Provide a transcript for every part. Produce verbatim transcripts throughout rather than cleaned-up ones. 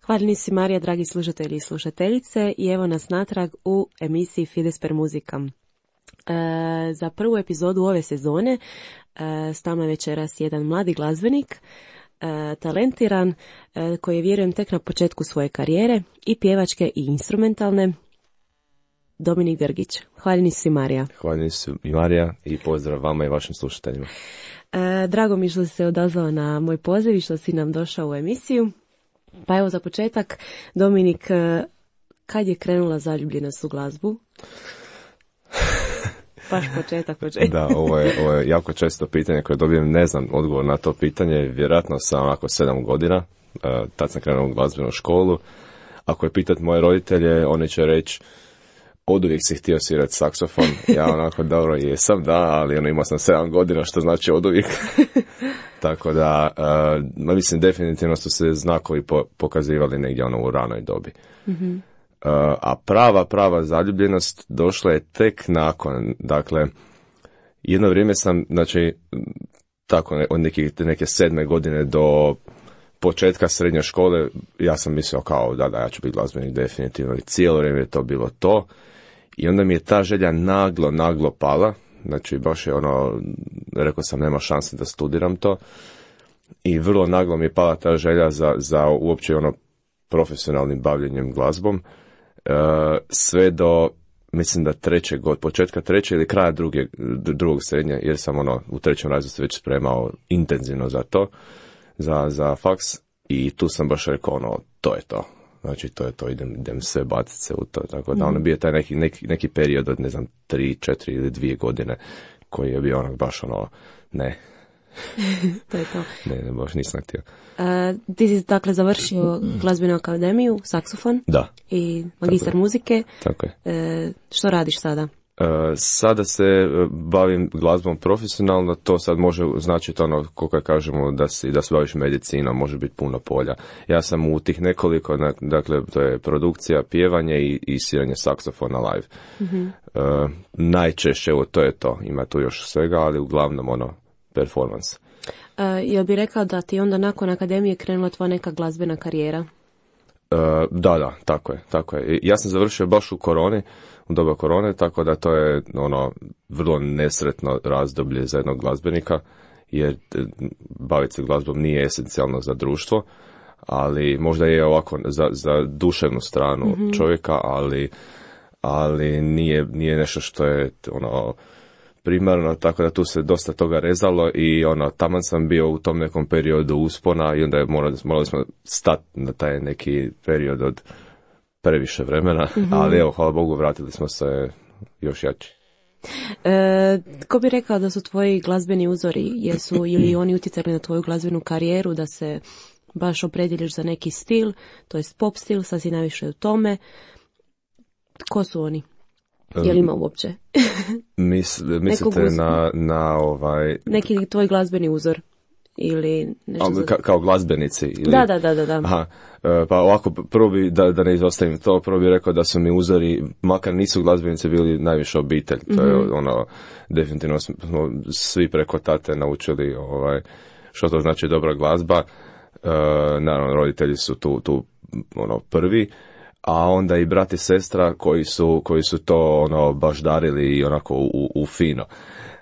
Hvaljeni si Marija, dragi slušatelji i slušateljice, i evo nas natrag u emisiji Fides per Musica. E, za prvu epizodu ove sezone e, s nama je večeras jedan mladi glazbenik, e, talentiran, e, koji je, vjerujem, tek na početku svoje karijere, i pjevačke i instrumentalne, Dominik Drgić. Hvaljeni si Marija. Hvaljeni si i Marija i pozdrav vama i vašim slušateljima. E, drago mi što si se odazvao na moj poziv i što si nam došao u emisiju. Pa evo za početak, Dominik, kad je krenula zaljubljenost u glazbu? Baš početak, početak. Da, ovo je, ovo je jako često pitanje koje dobijem, ne znam odgovor na to pitanje, vjerojatno sam onako sedam godina, tad sam krenuo u glazbenu školu. Ako je pitat moje roditelje, oni će reći, oduvijek si htio svirati saksofon. Ja onako, dobro, jesam, da, ali ono, imao sam sedam godina, što znači oduvijek. Tako da, uh, mislim, definitivno su se znakovi po, pokazivali negdje ono u ranoj dobi. Mm-hmm. Uh, a prava, prava zaljubljenost došla je tek nakon. Dakle, jedno vrijeme sam, znači, tako od neke, neke sedme godine do početka srednje škole, ja sam mislio kao, da, da, ja ću biti glazbenik definitivno. I cijelo vrijeme je to bilo to. I onda mi je ta želja naglo, naglo pala. Znači, baš je ono, rekao sam, nema šanse da studiram to. I vrlo naglo mi je pala ta želja za, za uopće ono profesionalnim bavljenjem glazbom. E, sve do, mislim da trećeg god, početka treće ili kraja druge, drugog srednje, jer sam ono u trećem razredu se već spremao intenzivno za to, za, za faks. I tu sam baš rekao, ono, to je to. Znači, to je to, idem, idem sve baciti se u to. Tako da, ono, bio taj neki, neki, neki period od, ne znam, tri, četiri ili dvije godine, koji je bio onak baš ono, ne. To je to. Ne, ne, baš nisam htio. Uh, ti si, dakle, završio glazbenu akademiju, saksofon. Da. I magistar tako muzike. Tako je. Uh, što radiš sada? Uh, sada se bavim glazbom profesionalno, to sad može značiti ono, kako kažemo, da, si, da se baviš medicinom, može biti puno polja. Ja sam u tih nekoliko, dakle, to je produkcija, pjevanje i, i sviranje saksofona live. Mm-hmm. Uh, najčešće, evo, to je to, ima tu još svega, ali uglavnom, ono, performance. Uh, jel bi rekao da ti onda nakon akademije krenula tvoja neka glazbena karijera? Uh, da, da, tako je, tako je. Ja sam završio baš u koroni, u doba korone, tako da to je ono vrlo nesretno razdoblje za jednog glazbenika, jer baviti se glazbom nije esencijalno za društvo, ali možda je ovako za, za duševnu stranu mm-hmm. čovjeka, ali, ali nije, nije nešto što je ono primarno, tako da tu se dosta toga rezalo i ono, taman sam bio u tom nekom periodu uspona i onda je morali, morali smo stati na taj neki period od previše vremena, mm-hmm. ali evo, hvala Bogu, vratili smo se još jači. E, ko bi rekao da su tvoji glazbeni uzori, jesu ili oni utjecali na tvoju glazbenu karijeru, da se baš opredjeliš za neki stil, to je pop stil, sad si najviše u tome. Ko su oni? Je li ima uopće? Mis, mislite na, na ovaj... Neki tvoj glazbeni uzor? Ili nešto za... Ka, kao glazbenici? Ili... Da, da, da, da. Aha, pa ovako, prvo bi, da, da ne izostavim to, prvo bi rekao da su mi uzori, makar nisu glazbenici, bili najviše obitelj. To mm-hmm. je ono, definitivno smo svi preko tate naučili ovaj, što to znači dobra glazba. E, naravno, roditelji su tu, tu ono, prvi, a onda i brat i sestra koji su, koji su to ono, baš darili i onako u, u fino.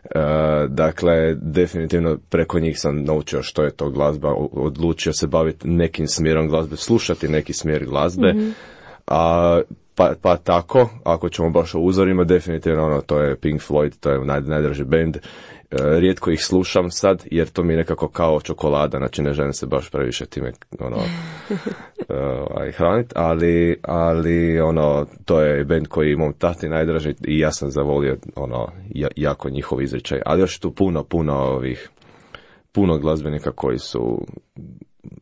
Uh, dakle, definitivno preko njih sam naučio što je to glazba, odlučio se baviti nekim smjerom glazbe, slušati neki smjer glazbe, mm-hmm. a, pa, pa tako, ako ćemo baš o uzorima, definitivno ono, to je Pink Floyd, to je naj, najdraži band. Uh, rijetko ih slušam sad, jer to mi je nekako kao čokolada, znači ne želim se baš previše time ono, uh, hraniti, ali, ali ono, to je band koji mom tati najdraži i ja sam zavolio ono, jako njihov izričaj, ali još tu puno, puno ovih, puno glazbenika koji su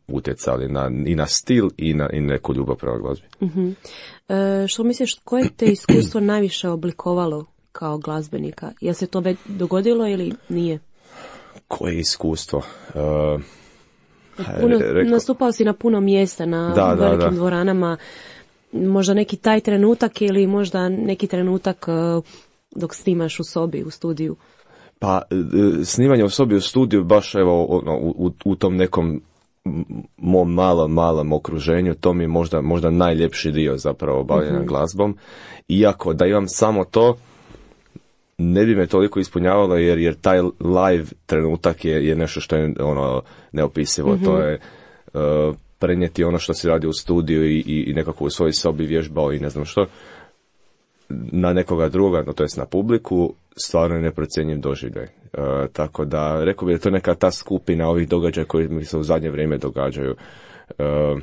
utjecali na, i na stil i na i neku ljubav prema glazbi. Mm-hmm. E, što misliš, koje te iskustvo najviše oblikovalo kao glazbenika? Je se to već dogodilo ili nije? Koje iskustvo? Uh, puno, reko... Nastupao si na puno mjesta, na da, velikim da, da. dvoranama. Možda neki taj trenutak ili možda neki trenutak uh, dok snimaš u sobi, u studiju? Pa, snimanje u sobi u studiju baš evo ono, u, u tom nekom mom malom, malom okruženju, to mi je možda, možda najljepši dio zapravo bavljenja mm-hmm. glazbom. Iako da imam samo to, ne bi me toliko ispunjavalo, jer, jer taj live trenutak je, je nešto što je ono neopisivo. Mm-hmm. To je uh, prenijeti ono što si radi u studiju i, i, i nekako u svojoj sobi vježbao i ne znam što, na nekoga druga, no to jest na publiku, stvarno je neprocjenjiv doživljaj. Uh, tako da, rekao bih da je to neka ta skupina ovih događaja koji mi se u zadnje vrijeme događaju. Uh,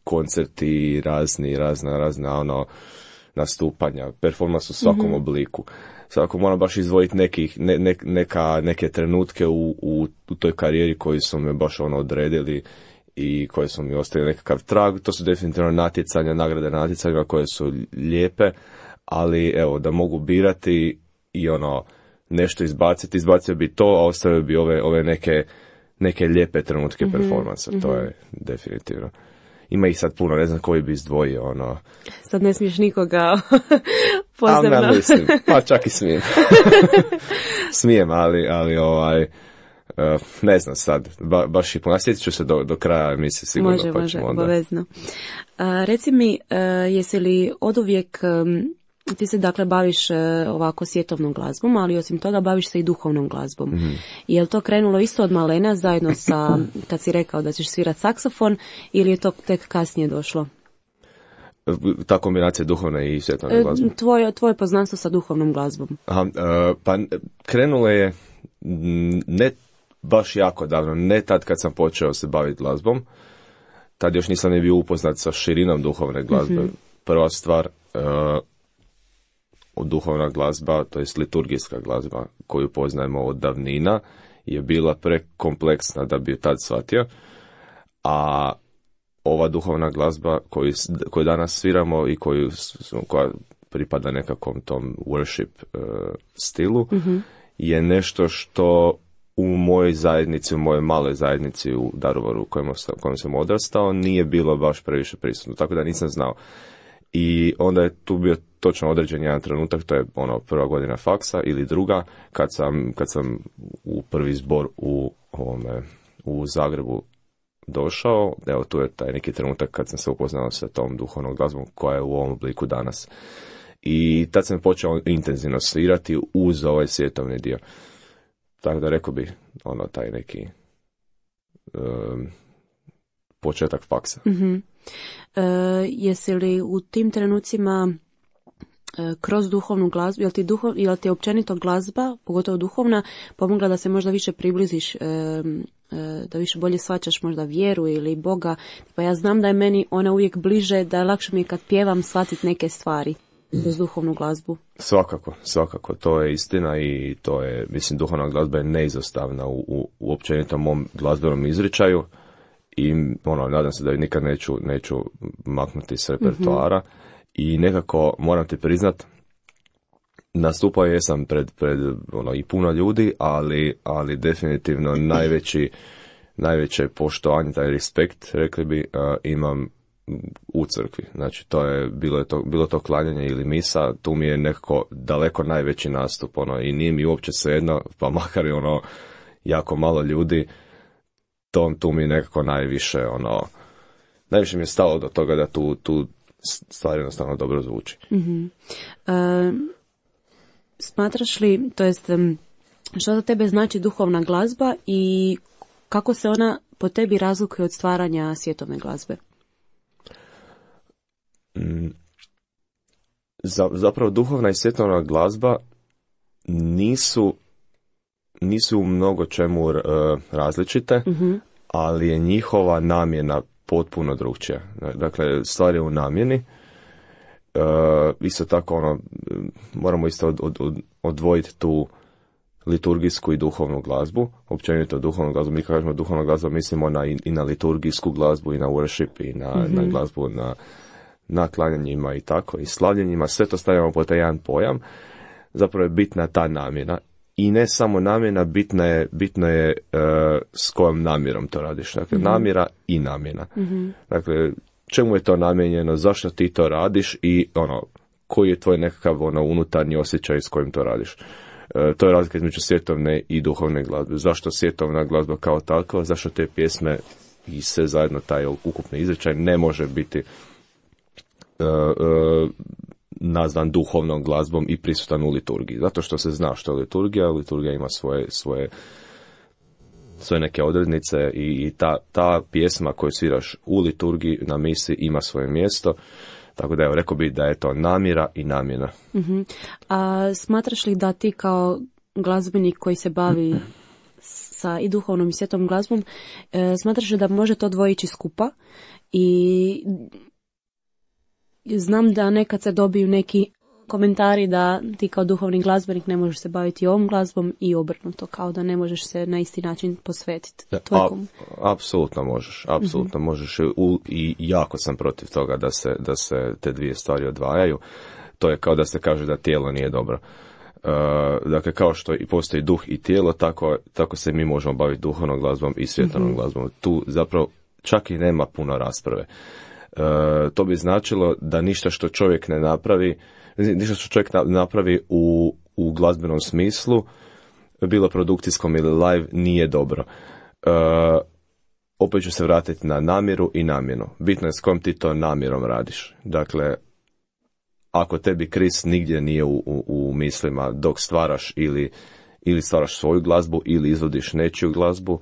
koncerti, razni, razna, razna ono, nastupanja, performans u svakom mm-hmm. obliku. Svako moram baš izdvojiti nekih, ne, ne, neka, neke trenutke u, u, u toj karijeri koji su me baš ono odredili i koje su mi ostavili nekakav trag. To su definitivno natjecanja, nagrade na natjecanjima koje su lijepe, ali evo, da mogu birati i ono, nešto izbaciti, izbacio bi to, a ostavio bi ove, ove neke, neke lijepe trenutke mm-hmm. performansa, mm-hmm. to je definitivno. Ima ih sad puno, ne znam koji bi izdvojio, ono... Sad ne smiješ nikoga posebno. A ne mislim, pa čak i smijem. Smijem, ali, ali ovaj... Uh, ne znam sad, ba, baš i puno. Sjetit ću se do, do kraja emisije sigurno. Može, pa može, onda... obavezno. Uh, reci mi, uh, jesi li oduvijek... Um, ti se dakle baviš uh, ovako svjetovnom glazbom, ali osim toga baviš se i duhovnom glazbom. Mm-hmm. Je li to krenulo isto od malena zajedno sa, kad si rekao da ćeš svirat saksofon, ili je to tek kasnije došlo? Ta kombinacija duhovne i svjetovne glazbe? Tvoje, tvoje poznanstvo sa duhovnom glazbom. Aha, uh, pa krenulo je ne baš jako davno, ne tad kad sam počeo se baviti glazbom. Tad još nisam ne bio upoznat sa širinom duhovne glazbe. Mm-hmm. Prva stvar... Uh, duhovna glazba, to jest liturgijska glazba koju poznajemo od davnina, je bila prekompleksna da bi ju tad shvatio, a ova duhovna glazba koju, koju danas sviramo i koju, koja pripada nekakvom tom worship uh, stilu, mm-hmm. je nešto što u mojoj zajednici, u mojoj maloj zajednici u Daruvaru u kojem, u kojem sam odrastao, nije bilo baš previše prisutno, tako da nisam znao. I onda je tu bio točno određen jedan trenutak, to je ono prva godina faksa ili druga, kad sam, kad sam u prvi zbor u, ovome, u Zagrebu došao. Evo tu je taj neki trenutak kad sam se upoznao sa tom duhovnom glazbom koja je u ovom obliku danas. I tad sam počeo intenzivno svirati uz ovaj svjetovni dio. Tako da rekao bi ono taj neki um, početak faksa. Mm-hmm. E, jesi li u tim trenucima e, kroz duhovnu glazbu, jel ti, duhov, jel ti općenito glazba, pogotovo duhovna, pomogla da se možda više približiš, e, e, da više bolje shvaćaš možda vjeru ili Boga? Pa ja znam da je meni ona uvijek bliže, da je lakše mi kad pjevam shvatiti neke stvari kroz duhovnu glazbu. Svakako, svakako, to je istina i to je, mislim, duhovna glazba je neizostavna u, u, u općenitom mom glazbenom izričaju. I ono, nadam se da ju nikad neću, neću maknuti s repertoara. Mm-hmm. I nekako, moram ti priznat, nastupao jesam pred, pred ono, i puno ljudi, ali, ali definitivno najveći, najveće poštovanje, taj respekt, rekli bi, uh, imam u crkvi. Znači, to je, bilo je to, bilo to klanjanje ili misa, tu mi je nekako daleko najveći nastup, ono, i nije mi uopće svejedno, pa makar je ono, jako malo ljudi, to, tu mi nekako najviše, ono, najviše mi je stalo do toga da tu, tu stvar jednostavno dobro zvuči. Mm-hmm. Uh, smatraš li, to jest, što za tebe znači duhovna glazba i kako se ona po tebi razlikuje od stvaranja svjetovne glazbe? Mm, za, zapravo duhovna i svjetovna glazba nisu nisu u mnogo čemu uh, različite, mm-hmm. ali je njihova namjena potpuno drukčija. Dakle, stvar je u namjeni. Uh, isto tako, ono, moramo isto od, od, od, odvojiti tu liturgijsku i duhovnu glazbu. Općenito duhovnu glazbu, mi kažemo duhovnu glazbu, mislimo na, i, i na liturgijsku glazbu, i na worship, i na, mm-hmm. na glazbu, na, na klanjanjima i tako, i slavljenjima. Sve to stavljamo pod taj jedan pojam. Zapravo je bitna ta namjena. I ne samo namjena, bitna je, bitno je uh, s kojom namjerom to radiš. Dakle, mm-hmm. namjera i namjena. Mm-hmm. Dakle, čemu je to namijenjeno, zašto ti to radiš i ono, koji je tvoj nekakav ono, unutarnji osjećaj s kojim to radiš. E, to je razlika između svjetovne i duhovne glazbe. Zašto svjetovna glazba kao takva? Zašto te pjesme i sve zajedno taj ukupni izričaj ne može biti e, e, nazvan duhovnom glazbom i prisutan u liturgiji? Zato što se zna što je liturgija, liturgija ima svoje, svoje, svoje neke odrednice i, i ta, ta pjesma koju sviraš u liturgiji na misi ima svoje mjesto. Tako da evo, rekao bi da je to namjera i namjena. Uh-huh. A smatraš li da ti kao glazbenik koji se bavi sa i duhovnom i svjetom glazbom, e, smatraš li da može to dvoje ići skupa? I znam da nekad se dobiju neki komentari da ti kao duhovni glazbenik ne možeš se baviti ovom glazbom i obrnuto, kao da ne možeš se na isti način posvetiti. A, apsolutno možeš, apsolutno mm-hmm. možeš u, i jako sam protiv toga da se, da se te dvije stvari odvajaju. To je kao da se kaže da tijelo nije dobro. Uh, dakle, kao što i postoji duh i tijelo, tako, tako se mi možemo baviti duhovnom glazbom i svjetovnom mm-hmm. glazbom. Tu zapravo čak i nema puno rasprave. Uh, to bi značilo da ništa što čovjek ne napravi, ništa što čovjek napravi u, u glazbenom smislu, bilo produkcijskom ili live, nije dobro. Uh, opet ću se vratiti na namjeru i namjenu. Bitno je s kojom ti to namjerom radiš. Dakle, ako tebi Krist nigdje nije u, u, u mislima dok stvaraš ili, ili stvaraš svoju glazbu ili izvodiš nečiju glazbu,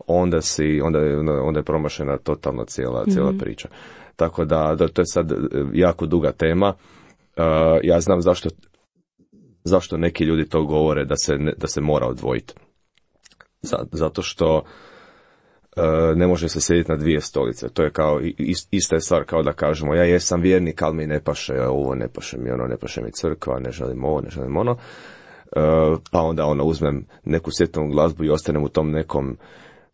onda, si, onda, je, onda je promašena totalno cijela, cijela mm-hmm. priča. Tako da, da to je sad jako duga tema. Uh, ja znam zašto, zašto neki ljudi to govore da se, ne, da se mora odvojiti. Zato što uh, ne može se sjediti na dvije stolice. To je kao, ista je stvar kao da kažemo, ja jesam vjernik, ali mi ne paše ovo, ne paše mi ono, ne paše mi crkva, ne želim ovo, ne želim ono. Uh, pa onda ono, uzmem neku svjetovnu glazbu i ostanem u tom nekom,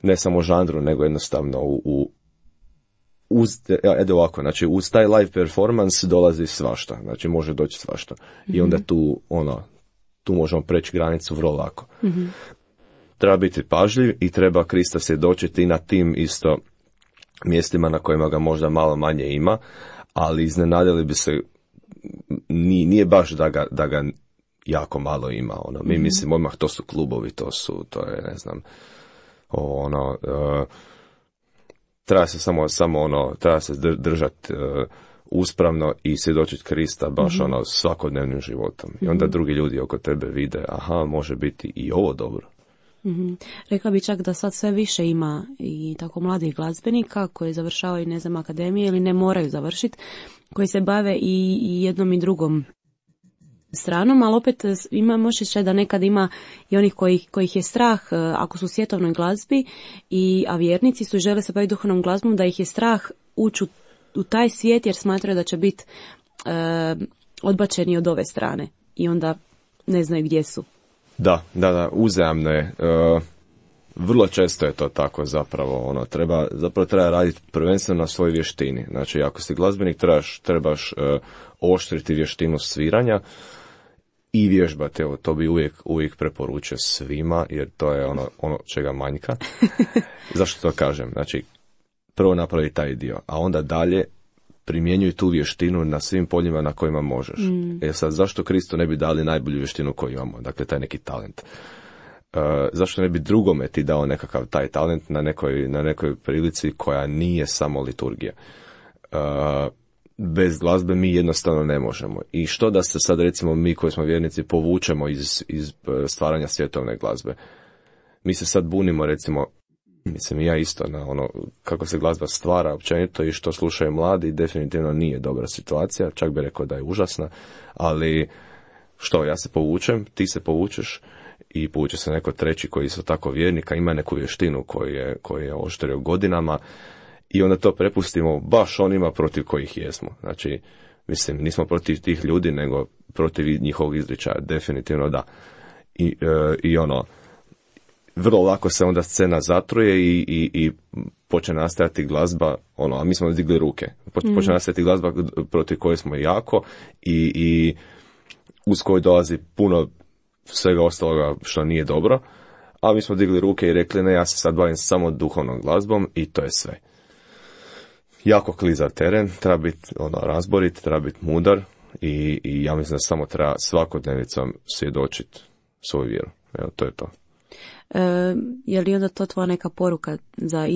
ne samo žanru, nego jednostavno u, u uz, edo ovako, znači uz taj live performance dolazi svašta, znači može doći svašta. Mm-hmm. I onda tu, ono, tu možemo preći granicu vrlo lako. Mm-hmm. Treba biti pažljiv i treba Krista svjedočiti na tim isto mjestima na kojima ga možda malo manje ima, ali iznenadili bi se, nije, nije baš da ga, da ga jako malo ima. Ono. Mi mm-hmm. mislimo, odmah to su klubovi, to su, to je, ne znam, ono... Uh, treba se samo, samo ono, treba se držati uh, uspravno i svjedočiti Krista baš mm-hmm. ono svakodnevnim životom. I onda mm-hmm. drugi ljudi oko tebe vide, aha, može biti i ovo dobro. Mm-hmm. Rekla bi čak da sad sve više ima i tako mladih glazbenika koji završavaju, ne znam, akademije ili ne moraju završiti, koji se bave i, i jednom i drugom stranom, ali opet imam osjećaj da nekad ima i onih kojih, kojih je strah ako su u svjetovnoj glazbi, i, a vjernici su i žele se baviti duhovnom glazbom, da ih je strah ući u, u taj svijet jer smatraju da će biti e, odbačeni od ove strane i onda ne znaju gdje su. Da, da, da, uzajamno je. E, vrlo često je to tako zapravo. Ono, treba, zapravo treba raditi prvenstveno na svojoj vještini. Znači, ako si glazbenik, trebaš, trebaš e, oštriti vještinu sviranja i vježbati. Evo, to bi uvijek, uvijek preporučio svima, jer to je ono, ono čega manjka. Zašto to kažem? Znači, prvo napravi taj dio, a onda dalje primjenjuj tu vještinu na svim poljima na kojima možeš. Mm. E sad, zašto Kristu ne bi dali najbolju vještinu koju imamo? Dakle, taj neki talent. Uh, zašto ne bi drugome ti dao nekakav taj talent na nekoj, na nekoj prilici koja nije samo liturgija? Uh, bez glazbe mi jednostavno ne možemo. I što da se sad, recimo, mi koji smo vjernici povučemo iz, iz stvaranja svjetovne glazbe? Mi se sad bunimo, recimo, mislim ja isto, na ono kako se glazba stvara općenito i što slušaju mladi, definitivno nije dobra situacija, čak bi rekao da je užasna, ali što, ja se povučem, ti se povučeš i povuče se neko treći koji isto tako vjernika, ima neku vještinu koju je, koju je oštrio godinama i onda to prepustimo baš onima protiv kojih jesmo. Znači, mislim, nismo protiv tih ljudi, nego protiv njihovog izričaja, definitivno da. I, e, i ono, vrlo lako se onda scena zatruje i, i, i počne nastajati glazba, ono, a mi smo digli ruke. Počne mm. nastajati glazba protiv koje smo jako i, i uz koju dolazi puno svega ostaloga što nije dobro, a mi smo digli ruke i rekli, ne, ja se sad bavim samo duhovnom glazbom i to je sve. Jako klizav teren, treba biti ono, razborit, treba biti mudar i, i ja mislim da samo treba svakodnevnicom svjedočiti svoju vjeru. Evo, to je to. E, je li onda to tvoja neka poruka za,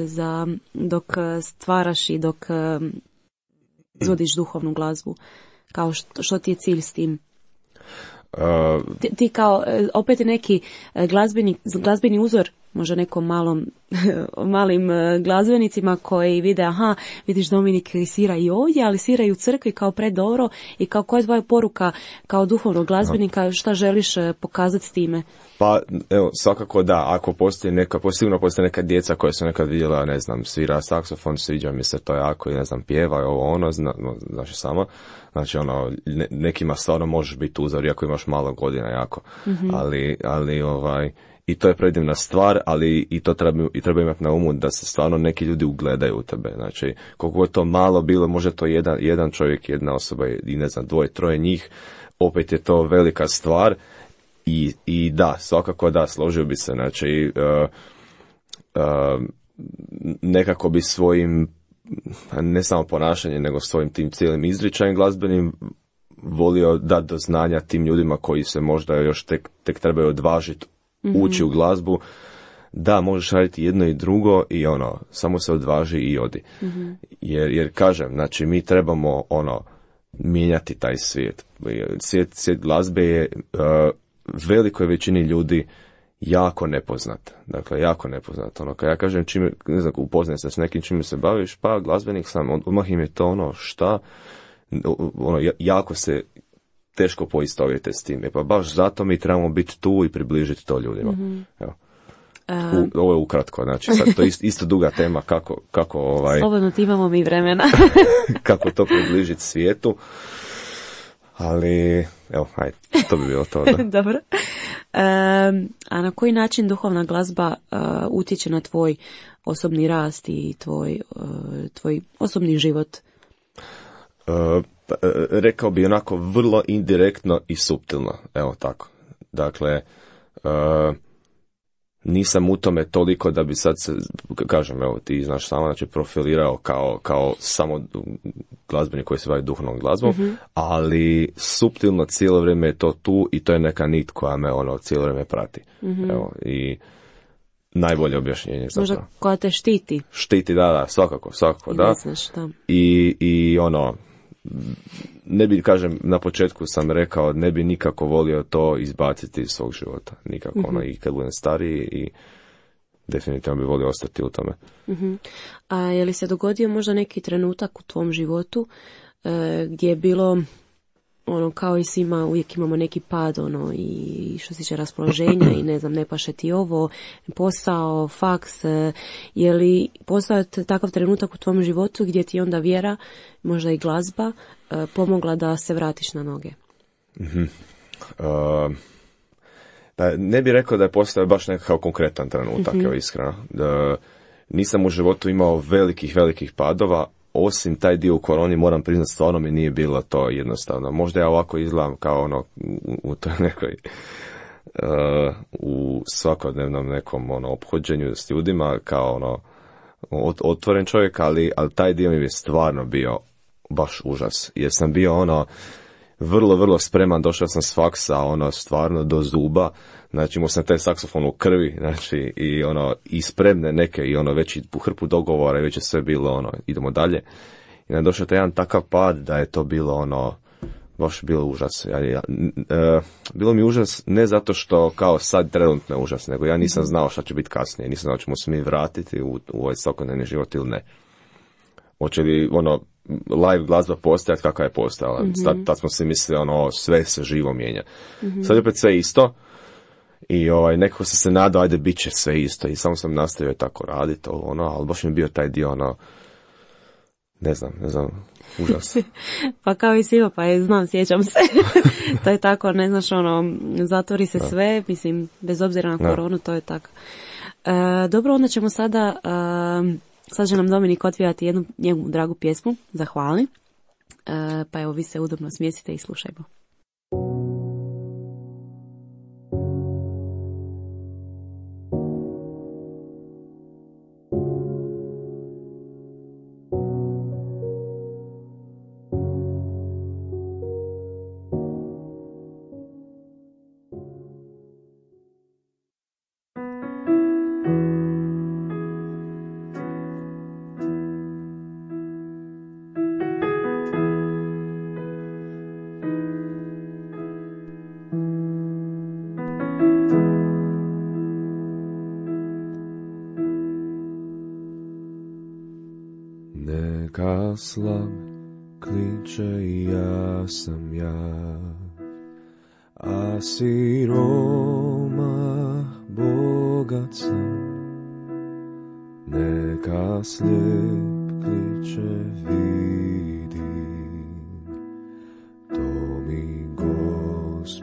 za dok stvaraš i dok izvodiš duhovnu glazbu? Kao što, što ti je cilj s tim? Uh, ti, ti kao, opet je neki glazbeni, glazbeni uzor, možda nekom malom, malim glazbenicima koji vide, aha, vidiš Dominik svira i ovdje, ali svira i u crkvi kao predobro i kao koja je tvoja poruka kao duhovnog glazbenika, šta želiš pokazati s time? Pa, evo, svakako da, ako postoji neka, sigurno postoji neka djeca koja su nekad vidjela, ne znam, svira saksofon, sviđa mi se to jako i ne znam, pjeva i ovo ono, zna, no, znači samo, znači ono, ne, nekima stvarno možeš biti uzor, iako imaš malo godina jako, mm-hmm. ali, ali ovaj, i to je predivna stvar, ali i to treba, i treba imati na umu da se stvarno neki ljudi ugledaju u tebe, znači, koliko je to malo bilo, može to jedan, jedan čovjek, jedna osoba i ne znam, dvoje, troje njih, opet je to velika stvar. I, i da, svakako da, složio bi se, znači uh, uh, nekako bi svojim, ne samo ponašanjem, nego svojim tim cijelim izričajem glazbenim volio dati do znanja tim ljudima koji se možda još tek, tek trebaju odvažiti mm-hmm. ući u glazbu, da možeš raditi jedno i drugo i ono, samo se odvaži i odi. Mm-hmm. Jer, jer kažem, znači mi trebamo ono, mijenjati taj svijet. Svijet, svijet glazbe je uh, velikoj većini ljudi jako nepoznat. Dakle, jako nepoznat. Ono, kad ja kažem čime, ne znam, upoznaj se s nekim čime se baviš, pa glazbenik sam, odmah im je to ono šta, ono, jako se teško poistovjete s time. Pa baš zato mi trebamo biti tu i približiti to ljudima. Mm-hmm. Evo. U, ovo je ukratko, znači sad to je isto, isto duga tema kako, kako ovaj... Slobodno ti imamo mi vremena. kako to približiti svijetu. Ali, evo, ajde, to bi bilo to. Da. Dobro. E, a na koji način duhovna glazba uh, utječe na tvoj osobni rast i tvoj, uh, tvoj osobni život? Uh, pa, rekao bi onako vrlo indirektno i suptilno. Evo tako. Dakle, uh, nisam u tome toliko da bi sad se, kažem, evo ti znaš sama, znači profilirao kao, kao samo glazbenik koji se bavi duhovnom glazbom, mm-hmm. ali suptilno cijelo vrijeme je to tu i to je neka nit koja me ono cijelo vrijeme prati. Mm-hmm. Evo, i najbolje objašnjenje. Možda zapravo. Koja te štiti. Štiti, da, da, svakako, svakako, I da. Ne znaš, da. I, i ono, ne bi, kažem, na početku sam rekao, ne bi nikako volio to izbaciti iz svog života. Nikako, mm-hmm. ono, i kad budem stariji i definitivno bi volio ostati u tome. Mm-hmm. A je li se dogodio možda neki trenutak u tvom životu e, gdje je bilo, ono, kao i svima, uvijek imamo neki pad, ono, i što se tiče raspoloženja i ne znam, ne paše ti ovo, posao, faks, e, je li postao takav trenutak u tvom životu gdje ti onda vjera, možda i glazba, e, pomogla da se vratiš na noge? Mm-hmm. Uh... Da, ne bih rekao da je postao baš nekakav konkretan trenutak, mm-hmm. evo iskreno. Da, nisam u životu imao velikih, velikih padova, osim taj dio u koroni, moram priznati, stvarno mi nije bilo to jednostavno. Možda ja ovako izgledam kao ono, u, u toj nekoj, uh, u svakodnevnom nekom ono, ophođenju s ljudima, kao ono, otvoren čovjek, ali, ali taj dio mi je stvarno bio baš užas. Jer sam bio ono, vrlo, vrlo spreman, došao sam s faksa, ono, stvarno do zuba, znači imao sam taj saksofon u krvi, znači, i ono, i spremne neke, i ono, već i hrpu dogovora, i već je sve bilo, ono, idemo dalje. I onda došao taj jedan takav pad, da je to bilo, ono, baš bilo užas. Ja, ja, e, bilo mi užas, ne zato što, kao sad trenutno je užas, nego ja nisam znao šta će biti kasnije, nisam znao ćemo se mi vratiti u, u ovaj svakodnevni život ili ne. Hoće li, ono, live glazba postojati kakva je postojala. Mm-hmm. Tad, tad smo si mislili, ono, sve se živo mijenja. Mm-hmm. Sad je opet sve isto i ovaj, nekako sam se nadao, ajde, bit će sve isto i samo sam nastavio tako raditi, ono, ali baš mi je bio taj dio, ono, ne znam, ne znam, užas. Pa kao i svima, pa je, znam, sjećam se. To je tako, ne znaš, ono, zatvori se da. Sve, mislim, bez obzira na koronu, da. To je tako. E, dobro, onda ćemo sada... E, Sad će nam Dominik otvijati jednu njegu dragu pjesmu, zahvali, e, pa evo vi se udobno smjestite i slušajmo. Neka slab kliče i ja sam ja, a siroma bogat sam. Neka slijep kliče vidi, to mi Gospod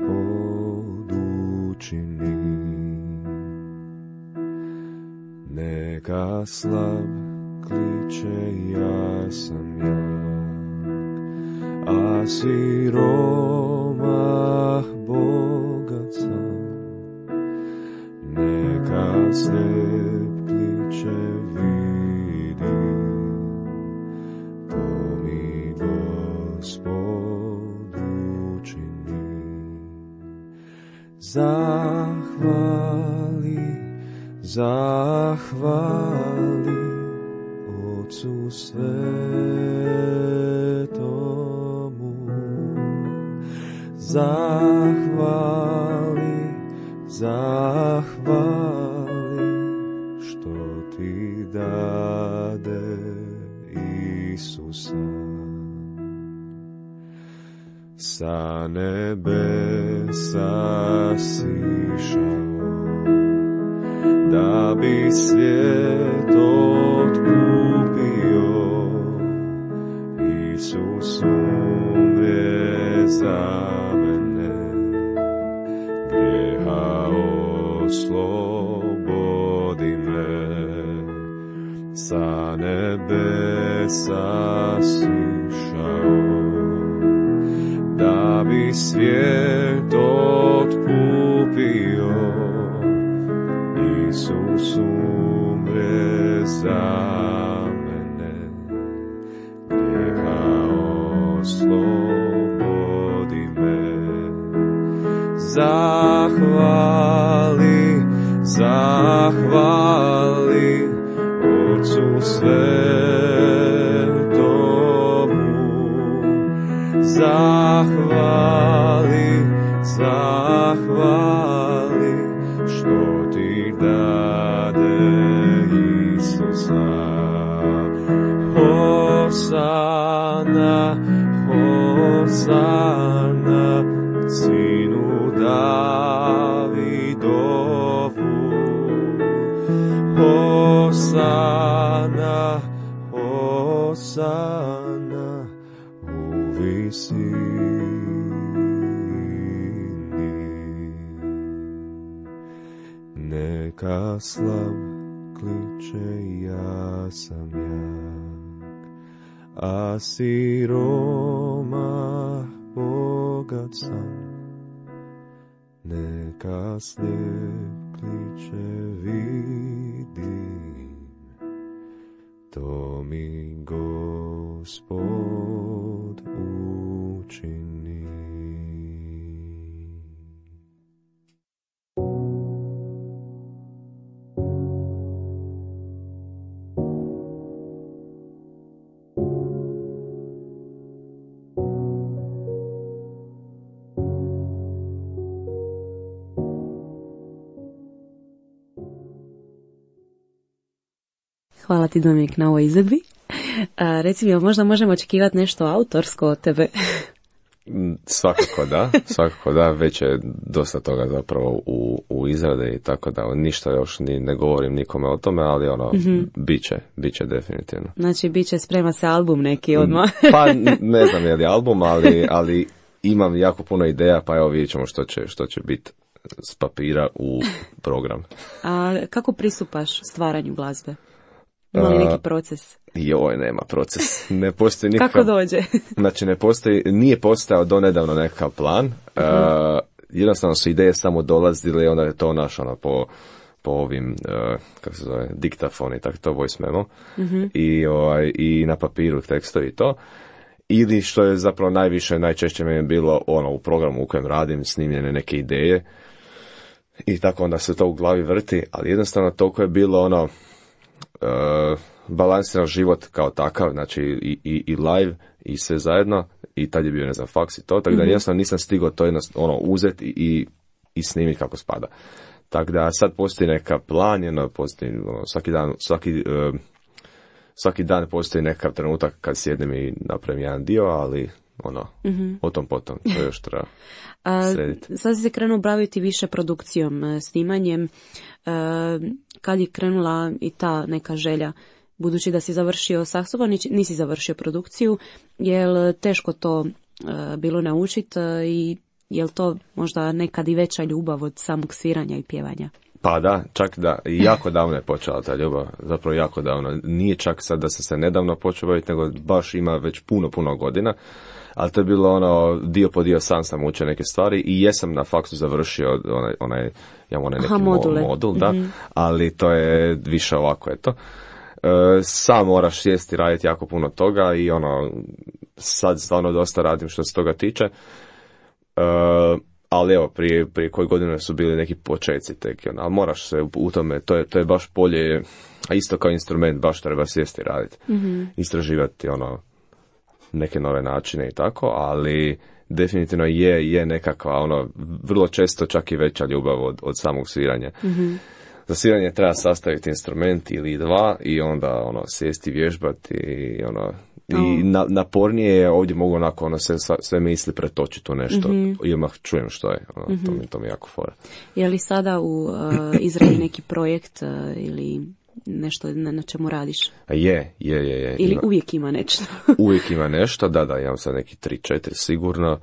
učini. Neka slab kliče ja sam jak, a siromah bogat sam. Neka slijep kliče vidi, to mi Gospod učini. Zahvali, zahvali Otcu svetomu, zahvali, zahvali što ti dade Isusa. Sa nebesa sišao da bi svijet otkupio. Isus umre za mene, grijeha oslobodi me. Sa nebesa sišao da bi svijet otkupio. Isus umre za mene, grijeha oslobodi me. Zahvali, zahvali Otcu svetomu, zahvali, zahvali što ti dade Isusa. Hosana, hosana sinu Davidovu. Hosana, hosana u visini. Neka slab kliče ja sam jak, a siromah bogat sam. Neka slijep kliče vidim, to mi Gospod učini. Hvala ti, Dominik, na ovoj izvedbi. A, reci mi, možda možemo očekivati nešto autorsko od tebe? Svakako da, svakako da, već je dosta toga zapravo u, u izrade i tako da ništa još ni ne govorim nikome o tome, ali ono, mm-hmm. bit će, bit će definitivno. Znači, bit će, sprema se album neki odmah. Pa ne znam je li album, ali, ali imam jako puno ideja, pa evo vidjet ćemo što će, što će biti s papira u program. A kako pristupaš stvaranju glazbe? Ima li neki proces? Joj, nema proces. Ne postoji nikakav... Kako dođe? Znači, ne postoji, nije postao donedavno nekakav plan. Uh-huh. Uh, jednostavno su ideje samo dolazile i onda je to naš, ono, po, po ovim, uh, kako se zove, diktafon i tako to, voice memo. Uh-huh. I, ovaj, i na papiru tekstovi i to. Ili što je zapravo najviše, najčešće meni bilo ono, u programu u kojem radim, snimljene neke ideje. I tako onda se to u glavi vrti, ali jednostavno toliko je bilo ono, Uh, balansiran život kao takav, znači i, i, i live i sve zajedno, i tad je bio, ne znam, faks i to, tako da mm-hmm. jednostavno nisam stigao to jednostavno ono, uzeti i, i snimiti kako spada. Tako da sad postoji neka plan, jedno, postoji ono, svaki dan, svaki, uh, svaki dan postoji nekakav trenutak kad sjednem i napravim jedan dio, ali ono, mm-hmm. o tom potom, to još treba srediti. Sad si se krenuo baviti više produkcijom, snimanjem. Kad je krenula i ta neka želja, budući da si završio saksofon, nisi završio produkciju, je li teško to bilo naučiti i je li to možda nekad i veća ljubav od samog sviranja i pjevanja? Pa da, čak da, jako davno je počela ta ljubav, zapravo jako davno. Nije čak sad da sam se nedavno počeo baviti, nego baš ima već puno, puno godina. Ali to je bilo ono, dio po dio sam sam učio neke stvari i jesam na faksu završio onaj, onaj, ja onaj neki Aha, modul, da, mm-hmm. ali to je više ovako, eto. E, sam moraš sjesti, raditi jako puno toga i ono, sad stvarno dosta radim što se toga tiče. E, ali evo, prije, prije koje godine su bili neki početci tek, ono, ali moraš se u tome, to je, to je baš polje, a isto kao instrument, baš treba sjesti raditi, mm-hmm. istraživati, ono, neke nove načine i tako, ali definitivno je, je nekakva, ono, vrlo često čak i veća ljubav od, od samog sviranja. Mm-hmm. Za sviranje treba sastaviti instrument ili dva i onda, ono, sjesti, vježbati i, ono, i oh. na, napornije je ovdje mogu onako, ono, sve, sve misli pretočiti u nešto mm-hmm. i odmah čujem što je, ono, mm-hmm. to, mi, to mi jako fora. Je li sada u uh, izradi neki projekt uh, ili nešto na, na čemu radiš? Je, je, je. je. Ili ima, uvijek ima nešto? Uvijek ima nešto, da, da, imam sad neki tri, četiri sigurno.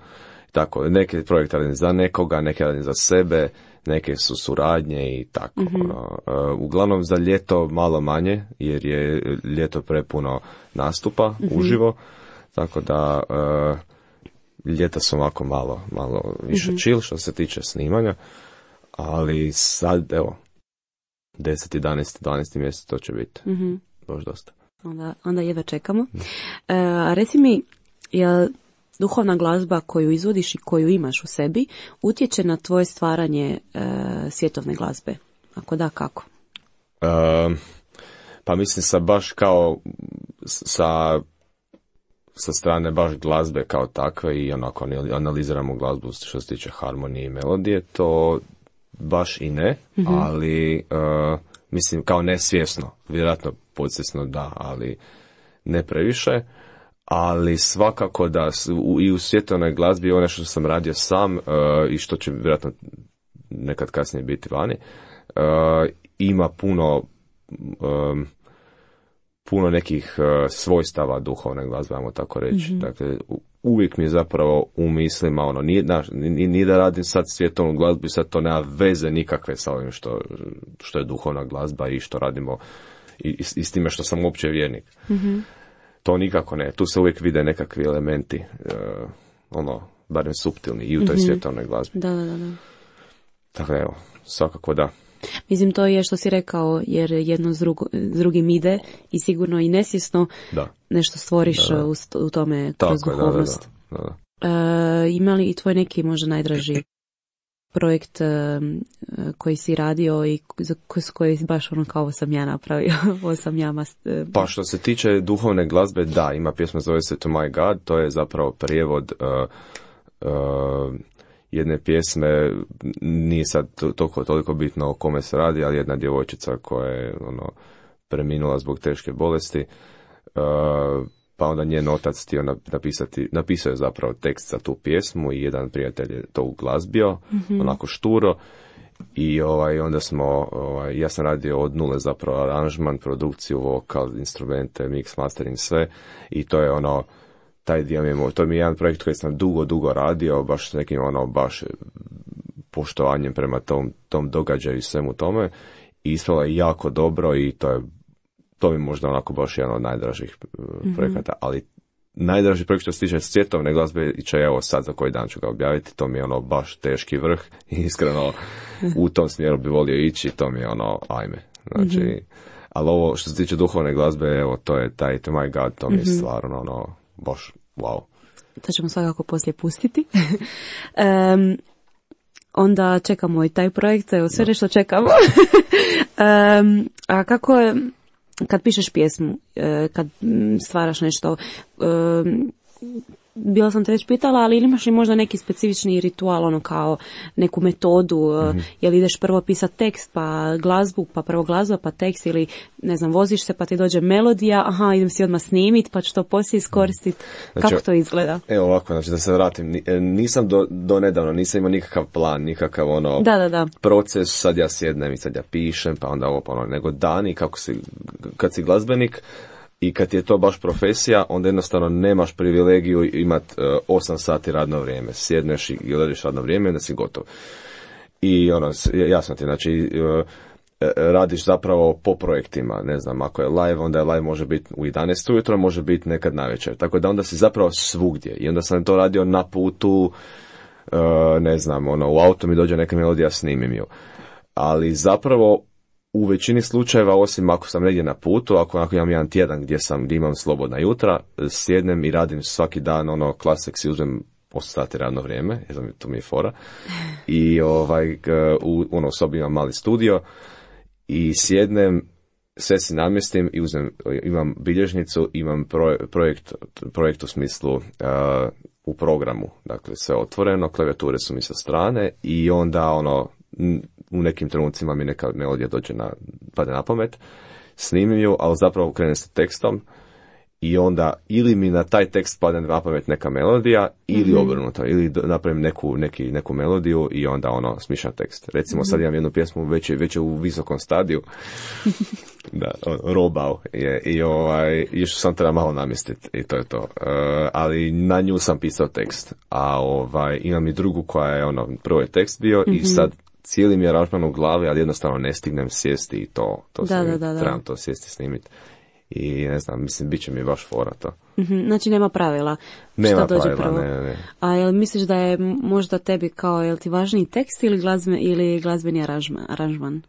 Tako, neke projekte radim za nekoga, neke radim za sebe, neke su suradnje i tako. Mm-hmm. Ono. Uh, uglavnom za ljeto malo manje, jer je ljeto prepuno nastupa mm-hmm. uživo, tako da uh, ljeta su ovako malo, malo više mm-hmm. chill što se tiče snimanja, ali sad, evo, deset, jedanaest, dvanaest mjesec to će biti. Mm-hmm. Baš dosta. Onda, onda jedva čekamo. Mm. E, a reci mi, je duhovna glazba koju izvodiš i koju imaš u sebi utječe na tvoje stvaranje e, svjetovne glazbe? Ako da, kako? E, pa mislim sa baš kao sa, sa strane baš glazbe kao takve i onako analiziramo glazbu što se tiče harmonije i melodije, to baš i ne, mm-hmm. ali uh, mislim kao nesvjesno, vjerojatno podsvjesno da, ali ne previše, ali svakako da u, i u svjetovnoj glazbi ono što sam radio sam uh, i što će vjerojatno nekad kasnije biti vani, uh, ima puno um, puno nekih uh, svojstava duhovne glazbe, ajmo tako reći. Mm-hmm. Dakle, uvijek mi je zapravo u mislima, ono, nije, naš, nije, nije da radim sad svjetovnu glazbu i sad to nema veze nikakve sa ovim što, što je duhovna glazba i što radimo i, i, i s time što sam uopće vjernik. Mm-hmm. To nikako ne. Tu se uvijek vide nekakvi elementi, uh, ono, barem suptilni i u toj mm-hmm. svjetovnoj glazbi. Da, da, da. Tako da, evo, svakako da. Mislim, to je što si rekao, jer jedno s, drugo, s drugim ide i sigurno i nesvjesno da. Nešto stvoriš da, da. U, u tome kroz tako duhovnost. Da, da, da, da. E, ima li i tvoj neki možda najdraži projekt e, koji si radio i za koji baš ono kao ovo sam ja napravio, ovo sam ja mas, e, Pa što se tiče duhovne glazbe, da, ima pjesma zove se To My God, to je zapravo prijevod uh, uh, jedne pjesme, nije sad toliko, toliko bitno o kome se radi, ali jedna djevojčica koja je ono, preminula zbog teške bolesti, uh, pa onda njen otac htio napisati, napisao je zapravo tekst za tu pjesmu i jedan prijatelj je to uglazbio, mm-hmm. onako šturo, i ovaj, onda smo, ovaj, ja sam radio od nule zapravo aranžman, produkciju, vokal, instrumente, mix, mastering, sve, i to je ono, taj dio mi je, to mi je jedan projekt koji sam dugo, dugo radio, baš s nekim ono, baš poštovanjem prema tom, tom događaju i svemu tome, i ispalo je jako dobro i to je, to mi je možda onako baš jedan od najdražih mm-hmm. projekata, ali najdraži projekt što se tiče svjetovne glazbe, i će evo sad za koji dan ću ga objaviti, to mi je ono baš teški vrh i iskreno u tom smjeru bi volio ići, to mi je ono, ajme, znači, mm-hmm. ali ovo što se tiče duhovne glazbe, evo, to je taj To My God, to mi je mm-hmm. stvarno ono, baš, wow. To ćemo svakako poslije pustiti. um, onda čekamo i taj projekt, evo sve nešto čekamo. um, a kako je, kad pišeš pjesmu, kad stvaraš nešto, um, bila sam te već pitala, ali imaš li možda neki specifični ritual, ono kao neku metodu, mm-hmm. jel ideš prvo pisat tekst, pa glazbu, pa prvo glazba, pa tekst, ili ne znam, voziš se pa ti dođe melodija, aha, idem si odmah snimit, pa ću to poslije iskoristiti. Znači, kako to izgleda? Evo ovako, znači da se vratim, nisam do, do nedavno, nisam imao nikakav plan, nikakav ono da, da, da. proces, sad ja sjednem i sad ja pišem, pa onda ovo, pa ono, nego dani, kako si, kad si glazbenik, i kad je to baš profesija, onda jednostavno nemaš privilegiju imati uh, osam sati radno vrijeme. Sjedneš i gledaš radno vrijeme i onda si gotov. I ono, jasno ti, znači, uh, radiš zapravo po projektima. Ne znam, ako je live, onda je live može biti u jedanaest ujutro, može biti nekad navečer. Tako da onda si zapravo svugdje. I onda sam to radio na putu, uh, ne znam, ono, u auto mi dođe neka melodija, snimim ju. Ali zapravo u većini slučajeva, osim ako sam negdje na putu, ako, ako imam jedan tjedan gdje sam, gdje imam slobodna jutra, sjednem i radim svaki dan, ono, klasik si uzmem osam sati radno vrijeme, jer to mi je fora, i ovaj, u ono, sobi imam mali studio, i sjednem, sve si namjestim i uzmem, imam bilježnicu, imam projekt, projekt u smislu uh, u programu, dakle sve otvoreno, klavijature su mi sa strane, i onda ono, u nekim trenucima mi neka melodija dođe na, pade na pamet, snimim ju, ali zapravo krenem sa tekstom i onda ili mi na taj tekst padne na pamet neka melodija, ili mm-hmm. obrnuto, ili napravim neku, neki, neku melodiju i onda ono smišam tekst. Recimo mm-hmm. sad imam jednu pjesmu već je, već je u visokom stadiju, da, robao je, i ovaj, još sam treba malo namjestiti i to je to. Uh, ali na nju sam pisao tekst, a ovaj, imam i drugu koja je ono, prvo je tekst bio mm-hmm. i sad cijeli mi je aranžman u glavi, ali jednostavno ne stignem sjesti i to, to da, sam, da, da, da. trebam to sjesti snimiti. I ne znam, mislim, bit će mi baš fora to. Mm-hmm, znači nema pravila. Nema šta dođe pravila, prvo. ne, ne. A jel misliš da je možda tebi kao, jel ti važniji tekst ili, glazbe, ili glazbeni aranžman, aranžman?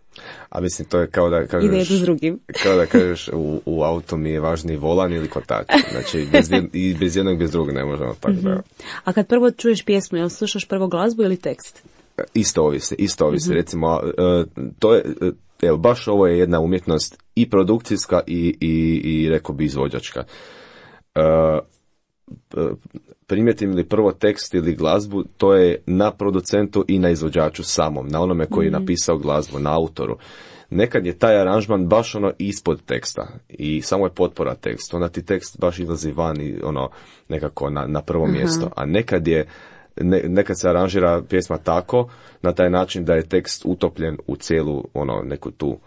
A mislim, to je kao da kažeš... Ide jedno s drugim. Kao da kažeš u, u auto mi je važniji volan ili kotač. Znači, bez, jed, i bez jednog, bez drugog ne možemo tako mm-hmm. da... A kad prvo čuješ pjesmu, jel slušaš prvo glazbu ili tekst? Isto ovisi, isto ovisi. Mm-hmm. Recimo, uh, to je... Uh, Evo, baš ovo je jedna umjetnost i produkcijska i, i, i rekao bi izvođačka. Uh, primijetim li prvo tekst ili glazbu, to je na producentu i na izvođaču samom, na onome koji je napisao glazbu, na autoru. Nekad je taj aranžman baš ono ispod teksta i samo je potpora tekstu, onda ti tekst baš izlazi van i ono nekako na, na prvo mjesto, a nekad je Ne, nekad se aranžira pjesma tako, na taj način da je tekst utopljen u cijelu, ono, neku tu,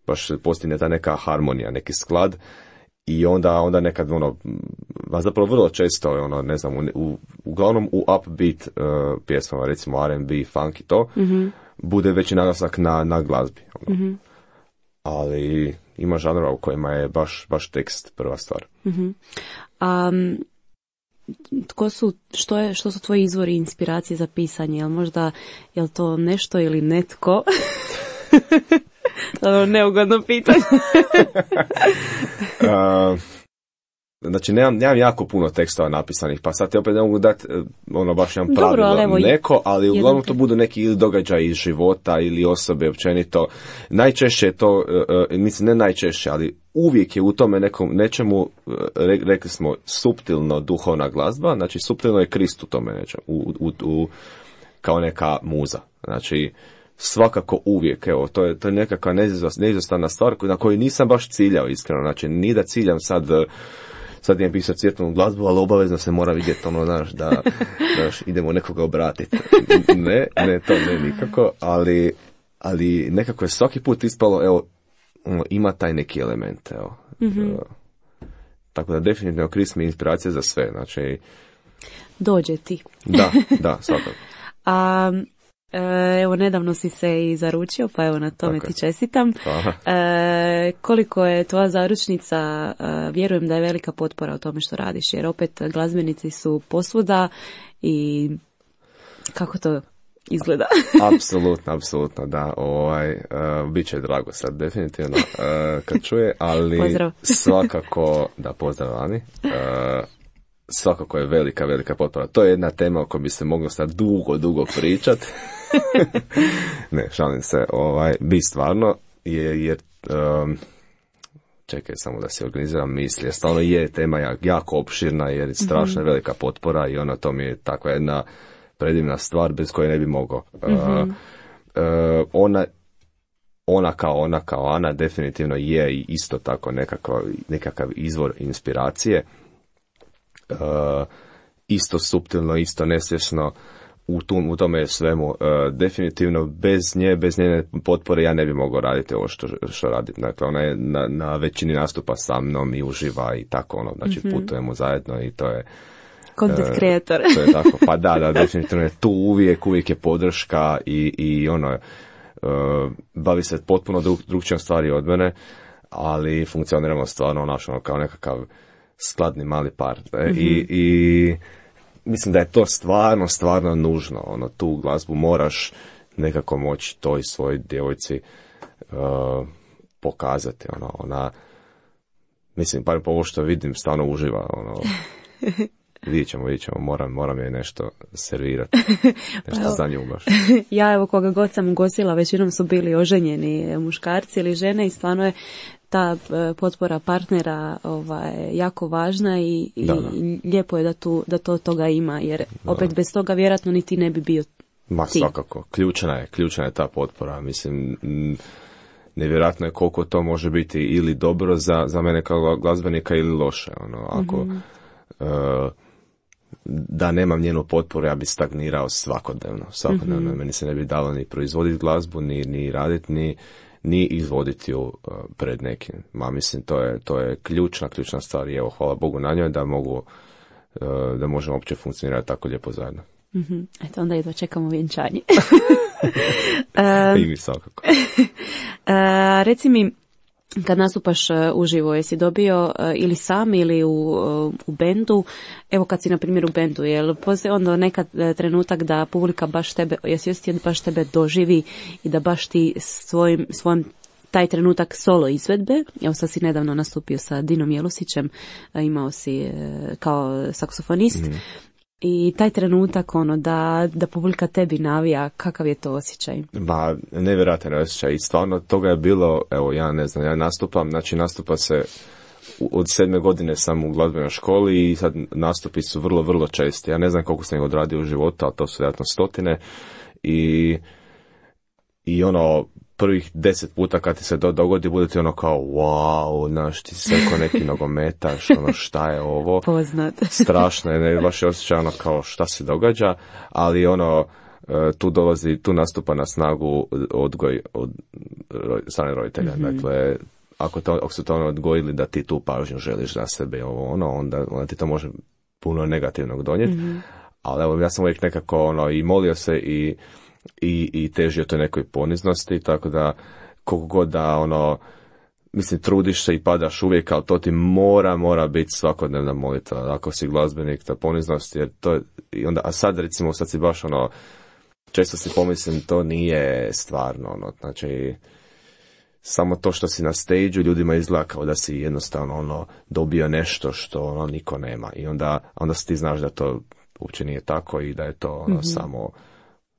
baš postigne ta neka harmonija, neki sklad, i onda, onda nekad, ono, a zapravo vrlo često, ono, ne znam, u, u, uglavnom u upbeat uh, pjesmama, recimo R and B, funk i to, mm-hmm. bude veći naglasak na, na glazbi. Ono. Mm-hmm. Ali ima žanrova u kojima je baš, baš tekst prva stvar. Mm-hmm. Um... Tko su, što, je, što su tvoji izvori inspiracije za pisanje? Jel možda, jel to nešto ili netko? To je neugodno pitanje. uh, znači, nemam, nemam jako puno tekstova napisanih, pa sad ti opet ne mogu dati ono baš jedan pravilo ali evo, neko, ali uglavnom to budu neki ili događaj iz života ili osobe općenito. Najčešće je to, uh, mislim ne najčešće, ali uvijek je u tome nekom, nečemu, re, rekli smo, suptilno duhovna glazba, znači suptilno je Krist u tome nečemu, u, u, u, kao neka muza. Znači, svakako uvijek, evo, to je, to je nekakva neizostavna stvar na koju nisam baš ciljao, iskreno, znači, ni da ciljam sad, sad idem pisati svjetlanu glazbu, ali obavezno se mora vidjeti, ono, znaš, da, da idemo nekoga obratiti. Ne, ne, to ne nikako, ali, ali nekako je svaki put ispalo, evo, ima taj neki element, evo. Mm-hmm. Tako da definitivno Krist mi je inspiracija za sve, znači... Dođe ti. Da, da, svakako. A, evo, nedavno si se i zaručio, pa evo na tome tako ti čestitam. E, koliko je tvoja zaručnica, e, vjerujem da je velika potpora u tome što radiš, jer opet glazbenici su posvuda i kako to izgleda? Apsolutno, apsolutno, da. Ovaj, uh, bit će drago sad, definitivno, uh, kad čuje, ali pozdrav. Svakako, da, pozdrav Ani, uh, svakako je velika, velika potpora. To je jedna tema o kojoj bi se moglo sad dugo, dugo pričat. Ne, šalim se, ovaj, bi stvarno, je, jer um, čekaj samo da se organiziram misli, jer stvarno je tema jako opširna, jer je strašno mm-hmm. velika potpora i ona to mi je takva jedna predivna stvar bez koje ne bi mogao. Mm-hmm. Uh, uh, ona, ona kao ona kao Ana definitivno je isto tako nekakav, nekakav izvor inspiracije. Uh, isto suptilno, isto nesvjesno, u, tom, u tome svemu. Uh, definitivno bez nje, bez njene potpore ja ne bi mogao raditi ovo što, što radim. Dakle, ona je na, na većini nastupa sa mnom i uživa i tako ono, znači mm-hmm. putujemo zajedno i to je content creator. Uh, to je tako, pa da, da, definitivno je tu uvijek, uvijek je podrška i, i ono, uh, bavi se potpuno drug, drugčijom stvari od mene, ali funkcioniramo stvarno naš, ono, kao nekakav skladni mali par. Mm-hmm. I, i mislim da je to stvarno, stvarno nužno. Ono, tu glazbu moraš nekako moći toj svojoj djevojci uh, pokazati. Ono, ona, mislim, par po ovo što vidim, stvarno uživa. Ono, vidjet ćemo, vidjet ćemo, moram, moram je nešto servirati. Nešto pa, za nju baš. Ja, evo, koga god sam ugostila, većinom su bili oženjeni muškarci ili žene i stvarno je ta potpora partnera ovaj, jako važna i, i, da, da. i lijepo je da, tu, da to toga ima, jer da. opet bez toga vjerojatno ni ti ne bi bio Ma ti. Svakako, ključna je, ključna je ta potpora, mislim, nevjerojatno je koliko to može biti ili dobro za, za mene kao glazbenika ili loše, ono, ako mm-hmm. uh, da nemam njenu potporu, ja bi stagnirao svakodnevno, svakodnevno, mm-hmm. meni se ne bi dalo ni proizvoditi glazbu, ni, ni raditi, ni ni izvoditi ju uh, pred nekim. Ma mislim, to je, to je ključna, ključna stvar i evo, hvala Bogu na njoj da mogu, uh, da možemo uopće funkcionirati tako lijepo zajedno. Mm-hmm. Eto, onda jedva čekamo vjenčanje. I mi svakako. uh, reci mi, kad nastupaš uh, uživo, jesi dobio uh, ili sam ili u, uh, u bendu, evo kad si na primjer u bendu, jel postoji onda nekad uh, trenutak da publika baš tebe, jesi osjetio da baš tebe doživi i da baš ti svojim, svojim taj trenutak solo izvedbe, evo sad si nedavno nastupio sa Dinom Jelusićem, uh, imao si uh, kao saksofonist, mm. i taj trenutak ono da, da publika tebi navija, kakav je to osjećaj? Ba, nevjerojatan osjećaj i stvarno toga je bilo, evo ja ne znam, ja nastupam, znači nastupa se, od sedme godine sam u glazbenoj školi i sad nastupi su vrlo, vrlo česti. Ja ne znam koliko sam ih odradio u životu, ali to su vjerojatno stotine i, i ono, prvih deset puta kad ti se to dogodi, bude ti ono kao, wow, znaš, ti se ko neki nogometaš, ono, šta je ovo? Poznat. Strašno je, ne, baš je osjećaj ono kao šta se događa, ali ono, tu dolazi, tu nastupa na snagu odgoj od strane roditelja. Mm-hmm. Dakle, ako, to, ako su to ono odgojili da ti tu pažnju želiš za sebe, ovo, ono, onda, onda ti to može puno negativnog donijeti. Mm-hmm. Ali evo, ja sam uvijek nekako ono, i molio se i I, i težio toj nekoj poniznosti, tako da koliko god da ono, mislim, trudiš se i padaš uvijek, ali to ti mora, mora biti svakodnevna molitva, ako si glazbenik, ta poniznost, jer to je, i onda, a sad recimo, sad si baš ono, često si pomislim, to nije stvarno, ono, znači, samo to što si na stage-u ljudima izgleda kao da si jednostavno ono, dobio nešto što ono, niko nema, i onda, onda ti znaš da to uopće nije tako i da je to ono, mm-hmm. samo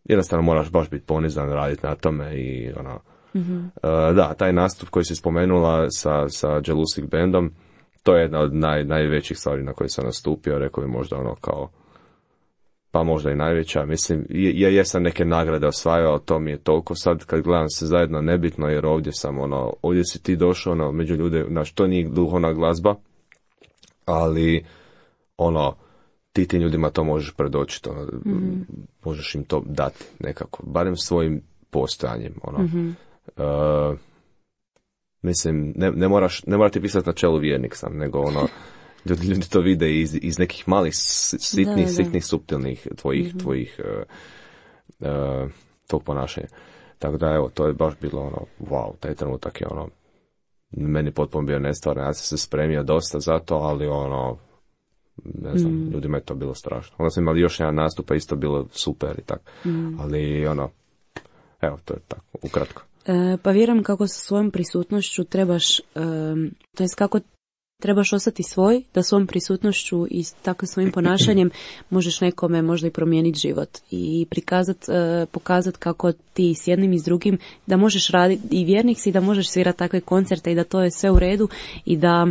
jednostavno moraš baš biti ponizan, raditi na tome i ono, mm-hmm. uh, da, taj nastup koji si spomenula sa, sa Jelusic bandom, to je jedna od naj, najvećih stvari na koje sam nastupio, rekao bi možda ono kao, pa možda i najveća, mislim, ja jesam neke nagrade osvajao, to mi je toliko sad kad gledam se zajedno nebitno, jer ovdje sam ono, ovdje si ti došao ono, među ljude, znaš, to nije duhovna glazba, ali ono, ti tim ljudima to možeš predočiti, ono, mm-hmm. možeš im to dati nekako, barem svojim postojanjem, ono. Mm-hmm. Uh, mislim, ne, ne moraš, ne moraš ti pisati na čelu vjernik sam, nego ono, ljudi, ljudi to vide iz, iz nekih malih, sitnih, da, da. sitnih, suptilnih tvojih, mm-hmm. tvojih, uh, uh, tog ponašanja. Tako da, evo, to je baš bilo ono, wow, taj trenutak je ono, meni potpuno bio nestvaran, ja sam se spremio dosta za to, ali ono, ne znam, mm. ljudima je to bilo strašno. Onda smo imali još jedan nastup, pa isto bilo super i tako. Mm. Ali ono, evo, to je tako, ukratko. E, pa vjerujem kako sa svojom prisutnošću trebaš, e, to jest kako trebaš ostati svoj, da svom prisutnošću i takvim svojim ponašanjem možeš nekome možda i promijeniti život i prikazat, pokazati kako ti s jednim i s drugim da možeš raditi i vjernik si, da možeš svirati takve koncerte i da to je sve u redu i da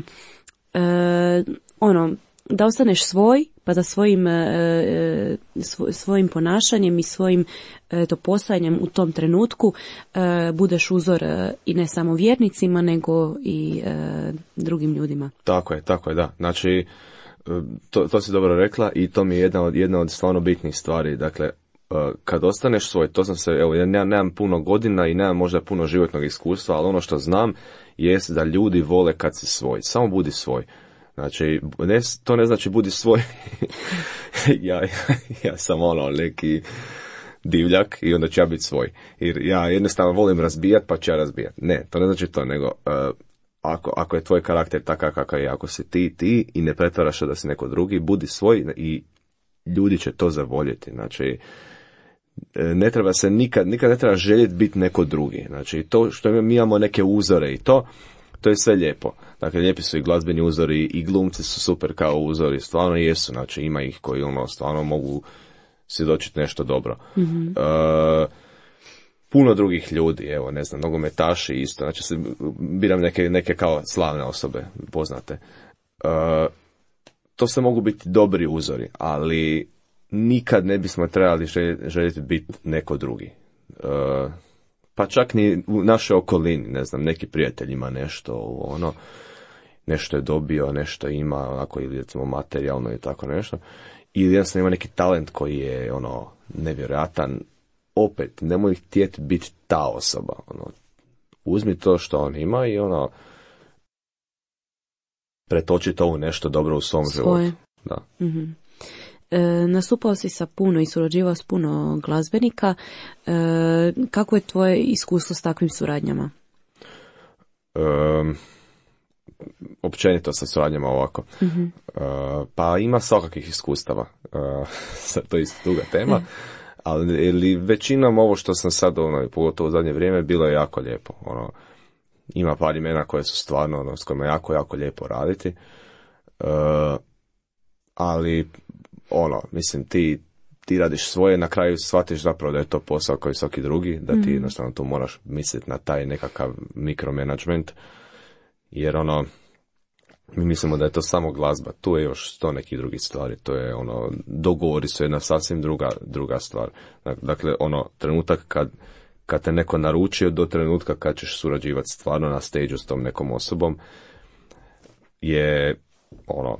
e, ono, da ostaneš svoj, pa da svojim, e, svoj, svojim ponašanjem i svojim eto, postojanjem u tom trenutku e, budeš uzor e, i ne samo vjernicima, nego i e, drugim ljudima. Tako je, tako je, da. Znači, to, to si dobro rekla i to mi je jedna od, jedna od stvarno bitnih stvari. Dakle, kad ostaneš svoj, to sam se, evo, ja nemam, nemam puno godina i nemam možda puno životnog iskustva, ali ono što znam jest da ljudi vole kad si svoj. Samo budi svoj. Znači, ne, to ne znači budi svoj. ja, ja, ja sam ono neki divljak i onda ću ja biti svoj. Jer ja jednostavno volim razbijat, pa ću ja razbijat. Ne, to ne znači to, nego uh, ako, ako je tvoj karakter takav kakav je, ako si ti, ti i ne pretvaraš da si neko drugi, budi svoj i ljudi će to zavoljeti. Znači, ne treba se nikad, nikad ne treba željeti biti neko drugi. Znači, to što mi imamo neke uzore i to, to je sve lijepo. Dakle, lijepi su i glazbeni uzori i glumci su super kao uzori, stvarno jesu, znači ima ih koji ono stvarno mogu svjedočiti nešto dobro. Mm-hmm. Uh, puno drugih ljudi, evo, ne znam, nogometaši isto, znači se biram neke, neke kao slavne osobe, poznate. Uh, to sve mogu biti dobri uzori, ali nikad ne bismo trebali željeti, željeti biti neko drugi. Uh, pa čak ni u našoj okolini, ne znam, neki prijatelj ima nešto, ono, nešto je dobio, nešto ima, onako, ili recimo materijalno i tako nešto, ili jednostavno ima neki talent koji je, ono, nevjerojatan, opet, nemoj htjeti biti ta osoba, ono, uzmi to što on ima i, ono, pretoči to u nešto dobro u svom Svoje. životu. Da. Mm-hmm. E, nastupao si sa puno i surađivao s puno glazbenika. E, kako je tvoje iskustvo s takvim suradnjama? Um, općenito sa suradnjama ovako. Mm-hmm. Uh, pa ima svakakvih iskustava. Uh, sad to je isto druga tema. Ali ili većinom ovo što sam sad, ono, pogotovo u zadnje vrijeme, bilo je jako lijepo. Ono, ima par imena koje su stvarno, ono, s kojima je jako, jako lijepo raditi. Uh, ali ono, mislim, ti, ti radiš svoje, na kraju shvatiš zapravo da je to posao kao i svaki drugi, da ti jednostavno tu moraš misliti na taj nekakav mikromanagement, jer ono, mi mislimo da je to samo glazba, tu je još sto nekih drugih stvari, to je ono, dogovori su jedna sasvim druga, druga stvar. Dakle, ono, trenutak kad, kad te neko naručio do trenutka kad ćeš surađivati stvarno na stage s tom nekom osobom, je ono,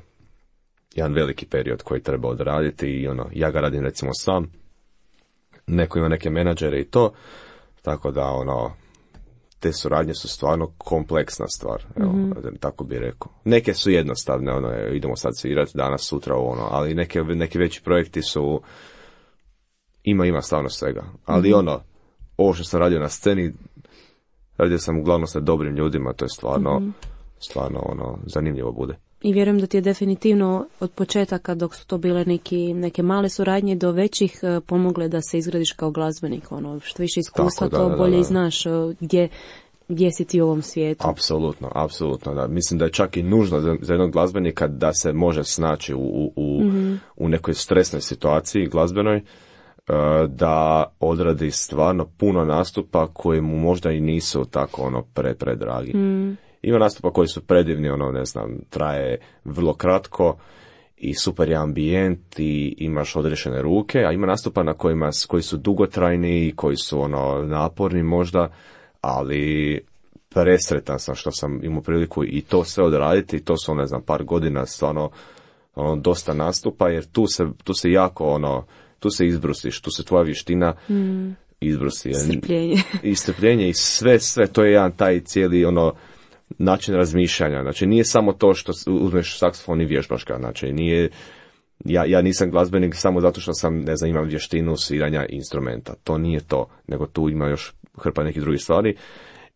jedan veliki period koji treba odraditi i ono, ja ga radim recimo sam, neko ima neke menadžere i to, tako da ono, te suradnje su stvarno kompleksna stvar, evo, mm-hmm. tako bi rekao. Neke su jednostavne, ono, idemo sad svirati danas, sutra, ono, ali neke, neki veći projekti su, ima, ima stvarno svega, ali mm-hmm. ono, ovo što sam radio na sceni, radio sam uglavnom sa dobrim ljudima, to je stvarno, mm-hmm. stvarno, ono, zanimljivo bude. I vjerujem da ti je definitivno od početaka, dok su to bile neki, neke male suradnje, do većih pomogle da se izgradiš kao glazbenik. Ono, što više iskustva, tako, da, to bolje da, da. I znaš gdje, gdje si ti u ovom svijetu. Apsolutno, apsolutno. Da. Mislim da je čak i nužno za, za jednog glazbenika da se može snaći u, u, mm-hmm. u nekoj stresnoj situaciji glazbenoj, da odradi stvarno puno nastupa koji mu možda i nisu tako ono pre, predragi. Mm. Ima nastupa koji su predivni, ono, ne znam, traje vrlo kratko i super je ambijent i imaš odrešene ruke, a ima nastupa na kojima, koji su dugotrajni i koji su, ono, naporni možda, ali presretan sam što sam imao priliku i to sve odraditi i to su, ne znam, par godina stvarno, ono, dosta nastupa, jer tu se, tu se jako, ono, tu se izbrusiš, tu se tvoja vještina mm. izbrusi. Strpljenje. I strpljenje i sve, sve, to je jedan taj cijeli, ono, način razmišljanja. Znači, nije samo to što uzmeš saksofon i vježbaš ga. Znači, nije, ja, ja nisam glazbenik samo zato što sam, ne znam, imam vještinu sviranja instrumenta. To nije to, nego tu ima još hrpa nekih drugih stvari.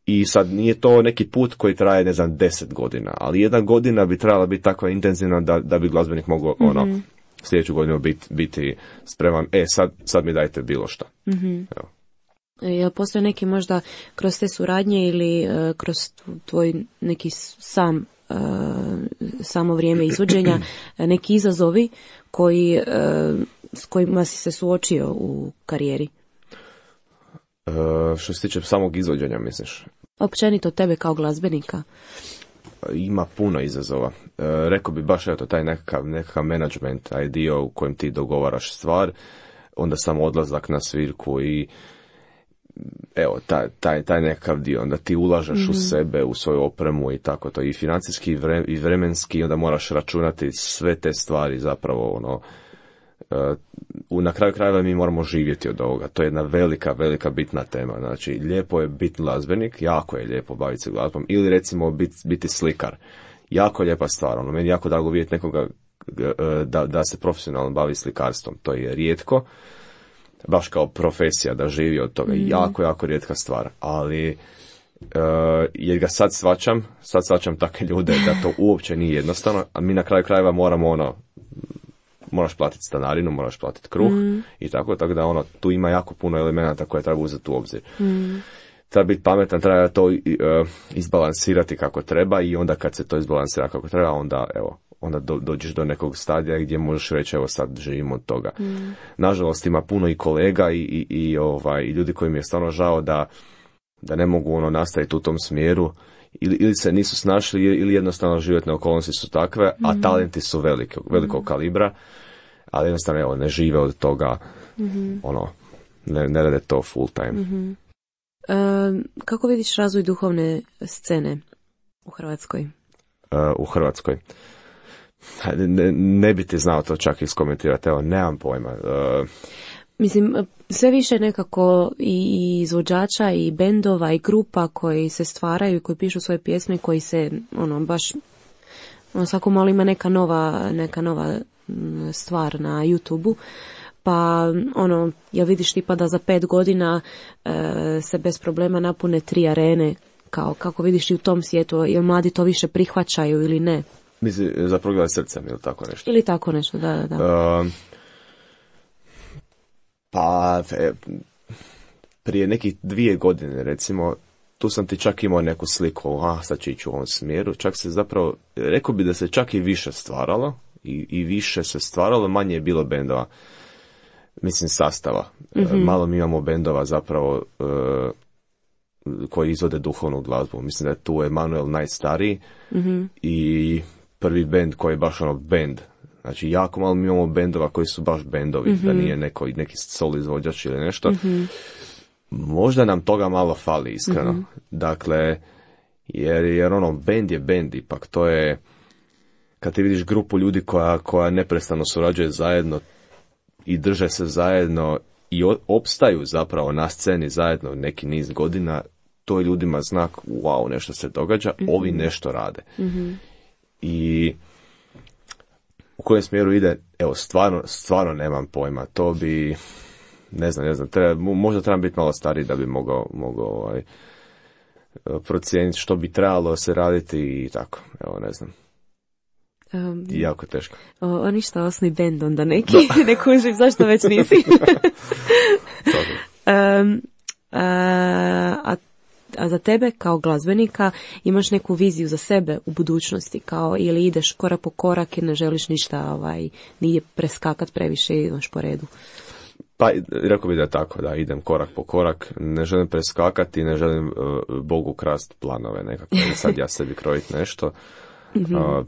I sad nije to neki put koji traje, ne znam, deset godina, ali jedna godina bi trebala biti takva intenzivna da, da bi glazbenik mogao, mm-hmm. ono, sljedeću godinu biti, biti spreman, e, sad, sad mi dajte bilo šta. Mm-hmm. Evo. Jel postoje neki možda kroz te suradnje ili uh, kroz tvoj neki sam uh, uh, samo vrijeme izvođenja, neki izazovi koji, uh, s kojima si se suočio u karijeri? Uh, što se tiče samog izvođenja, misliš? Općenito tebe kao glazbenika? Ima puno izazova. Uh, rekao bi baš eto, taj nekakav, nekakav management, taj dio u kojem ti dogovaraš stvar, onda samo odlazak na svirku i evo, taj, taj, taj nekakav dio, onda ti ulažeš mm-hmm. u sebe, u svoju opremu i tako to, i financijski i, vre, i vremenski, onda moraš računati sve te stvari zapravo, ono, uh, na kraju krajeva mi moramo živjeti od ovoga, to je jedna velika, velika bitna tema, znači, lijepo je biti glazbenik, jako je lijepo baviti se glazbom, ili recimo biti, biti slikar, jako lijepa stvar, ono, meni jako drago vidjeti nekoga da, da se profesionalno bavi slikarstvom, to je rijetko, baš kao profesija da živi od toga, mm. jako, jako rijetka stvar, ali uh, jer ga sad svačam, sad svačam takve ljude da to uopće nije jednostavno, a mi na kraju krajeva moramo ono, moraš platiti stanarinu, moraš platiti kruh mm. i tako, tako da ono, tu ima jako puno elemenata koje treba uzeti u obzir. Mm. Treba biti pametan, treba to uh, izbalansirati kako treba i onda kad se to izbalansira kako treba, onda evo, onda do, dođeš do nekog stadija gdje možeš reći evo sad živimo od toga. Mm. Nažalost ima puno i kolega i, i, i, ovaj, i ljudi koji mi je stvarno žao da, da ne mogu ono nastaviti u tom smjeru ili, ili se nisu snašli ili jednostavno životne okolnosti su takve, mm. a talenti su velike, velikog mm. kalibra, ali jednostavno evo, ne žive od toga, mm-hmm. ono, ne, ne rade to full time. Mm-hmm. E, kako vidiš razvoj duhovne scene u Hrvatskoj? E, u Hrvatskoj? Ne, ne bi ti znao to čak iskomentirati, evo, nemam pojma. Uh... Mislim, sve više nekako i izvođača i bendova i grupa koji se stvaraju i koji pišu svoje pjesme, koji se, ono, baš, ono, svako malo ima neka nova, neka nova stvar na YouTubeu, pa, ono, ja vidiš tipa da za pet godina uh, se bez problema napune tri arene, kao, kako vidiš i u tom svijetu, jel mladi to više prihvaćaju ili ne? Misli, za progled srcem ili tako nešto? Ili tako nešto, da, da, da. Uh, pa, e, prije nekih dvije godine, recimo, tu sam ti čak imao neku sliku, a sad će ići u ovom smjeru, čak se zapravo, rekao bi da se čak i više stvaralo, i, i više se stvaralo, manje je bilo bendova, mislim sastava. Mm-hmm. Uh, malo mi imamo bendova zapravo uh, koji izvode duhovnu glazbu. Mislim da je tu Emanuel najstariji mm-hmm. i prvi bend koji je baš ono bend. Znači, jako malo mi imamo bendova koji su baš bendovi, mm-hmm. da nije neko, neki solo izvođač ili nešto. Mm-hmm. Možda nam toga malo fali, iskreno. Mm-hmm. Dakle, jer, jer ono, bend je bend, ipak to je, kad ti vidiš grupu ljudi koja, koja neprestano surađuje zajedno i drže se zajedno i opstaju zapravo na sceni zajedno neki niz godina, to je ljudima znak, wow, nešto se događa, mm-hmm. ovi nešto rade. Mm-hmm. I u kojem smjeru ide, evo, stvarno, stvarno nemam pojma. To bi, ne znam, ne znam, treba, možda trebam biti malo stariji da bi mogao, mogao ovaj, procijeniti što bi trebalo se raditi i tako, evo, ne znam. Um, jako teško. O, o ništa, osni bend onda neki, ne kužim, zašto već nisi? um, a, a A za tebe kao glazbenika imaš neku viziju za sebe u budućnosti, kao ili ideš korak po korak i ne želiš ništa, ovaj, nije preskakat previše i ideš po redu? Pa, rekao bi da je tako, da idem korak po korak, ne želim preskakati, ne želim uh, Bogu krast planove nekako, sad ja sebi krojiti nešto, mm-hmm. uh,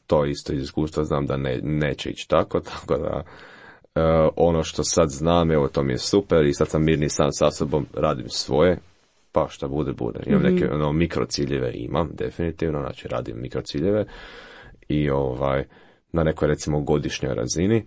to isto iz iskustva znam da ne, neće ići tako, tako da uh, ono što sad znam, evo to mi je super i sad sam mirni sam sa sobom, radim svoje, pa šta bude, bude. Imam mm-hmm. neke ono, mikrociljeve, imam definitivno, znači radim mikrociljeve i ovaj, na nekoj recimo godišnjoj razini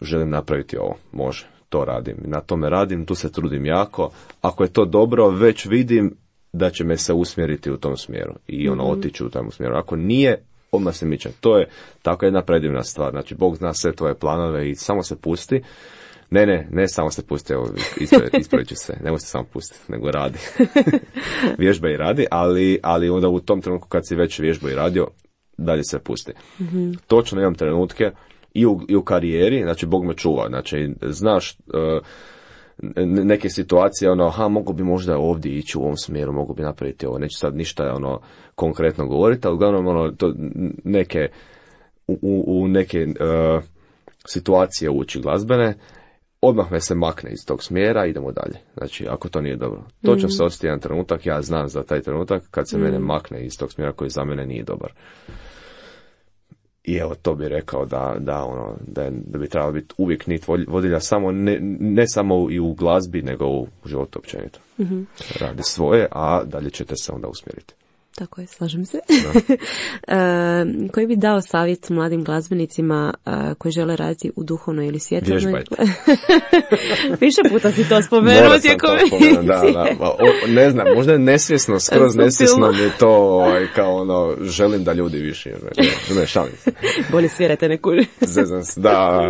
želim napraviti ovo, može, to radim. Na tome radim, tu se trudim jako. Ako je to dobro, već vidim da će me se usmjeriti u tom smjeru i ono mm-hmm. otići u tom smjeru. Ako nije, odmah se miče. To je tako jedna predivna stvar. Znači, Bog zna sve tvoje planove i samo se pusti. Ne, ne, ne samo se pusti, evo, ispravit ću se, nemoj se samo pustiti, nego radi. Vježba i radi, ali, ali onda u tom trenutku kad si već vježba i radio, dalje se pusti. Mm-hmm. Točno imam trenutke i u, i u karijeri, znači Bog me čuva, znači znaš, uh, neke situacije, ono, ha, mogu bi možda ovdje ići u ovom smjeru, mogu bi napraviti ovo, neću sad ništa, ono, konkretno govoriti, ali uglavnom, ono, to neke, u, u neke uh, situacije ući glazbene, odmah me se makne iz tog smjera, idemo dalje. Znači, ako to nije dobro. Točno mm. se odsjeti jedan trenutak, ja znam za taj trenutak, kad se mm. mene makne iz tog smjera koji za mene nije dobar. I evo, to bi rekao da, da, ono, da, je, da bi trebalo biti uvijek nit vodilja, samo ne, ne samo i u glazbi, nego u životu općenito. Mm-hmm. Radi svoje, a dalje ćete se onda usmjeriti. Tako je, slažem se. e, koji bi dao savjet mladim glazbenicima a, koji žele raditi u duhovnoj ili svjetovnoj? Vježbajte. Više puta si to spomenuo tijekom emisije. Da, da. O, ne znam, možda je nesvjesno, skroz nesvjesno mi je to kao ono, želim da ljudi više. Ne, ne šalim se. Bolje svirajte neku. Zezam se, da.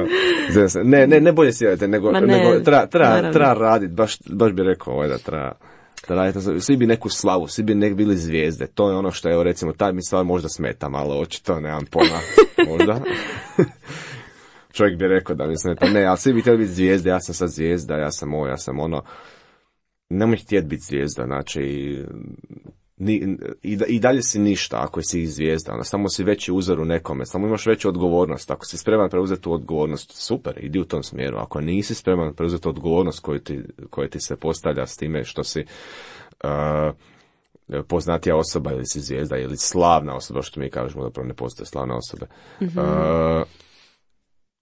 Zezam se. Ne, ne, ne bolje svirajte, nego, nego treba tra, tra raditi, baš, baš bi rekao ovaj da treba. Svi bi neku slavu, svi bi nek bili zvijezde. To je ono što je, recimo, taj mi stvar možda smeta malo, očito, nemam pojma, možda. Čovjek bi rekao da mi smeta, ne, ali svi bi htjeli biti zvijezde, ja sam sad zvijezda, ja sam ovo, ja sam ono. Nemoj htjeti biti zvijezda, znači, ni, i, i dalje si ništa ako si zvijezda, ono, samo si veći uzor u nekome, samo imaš veću odgovornost. Ako si spreman preuzeti tu odgovornost, super, idi u tom smjeru. Ako nisi spreman preuzeti odgovornost koju ti, koju ti se postavlja s time što si uh, poznatija osoba ili si zvijezda ili slavna osoba, što mi kažemo, zapravo ne postoje slavne osobe, mm-hmm. uh,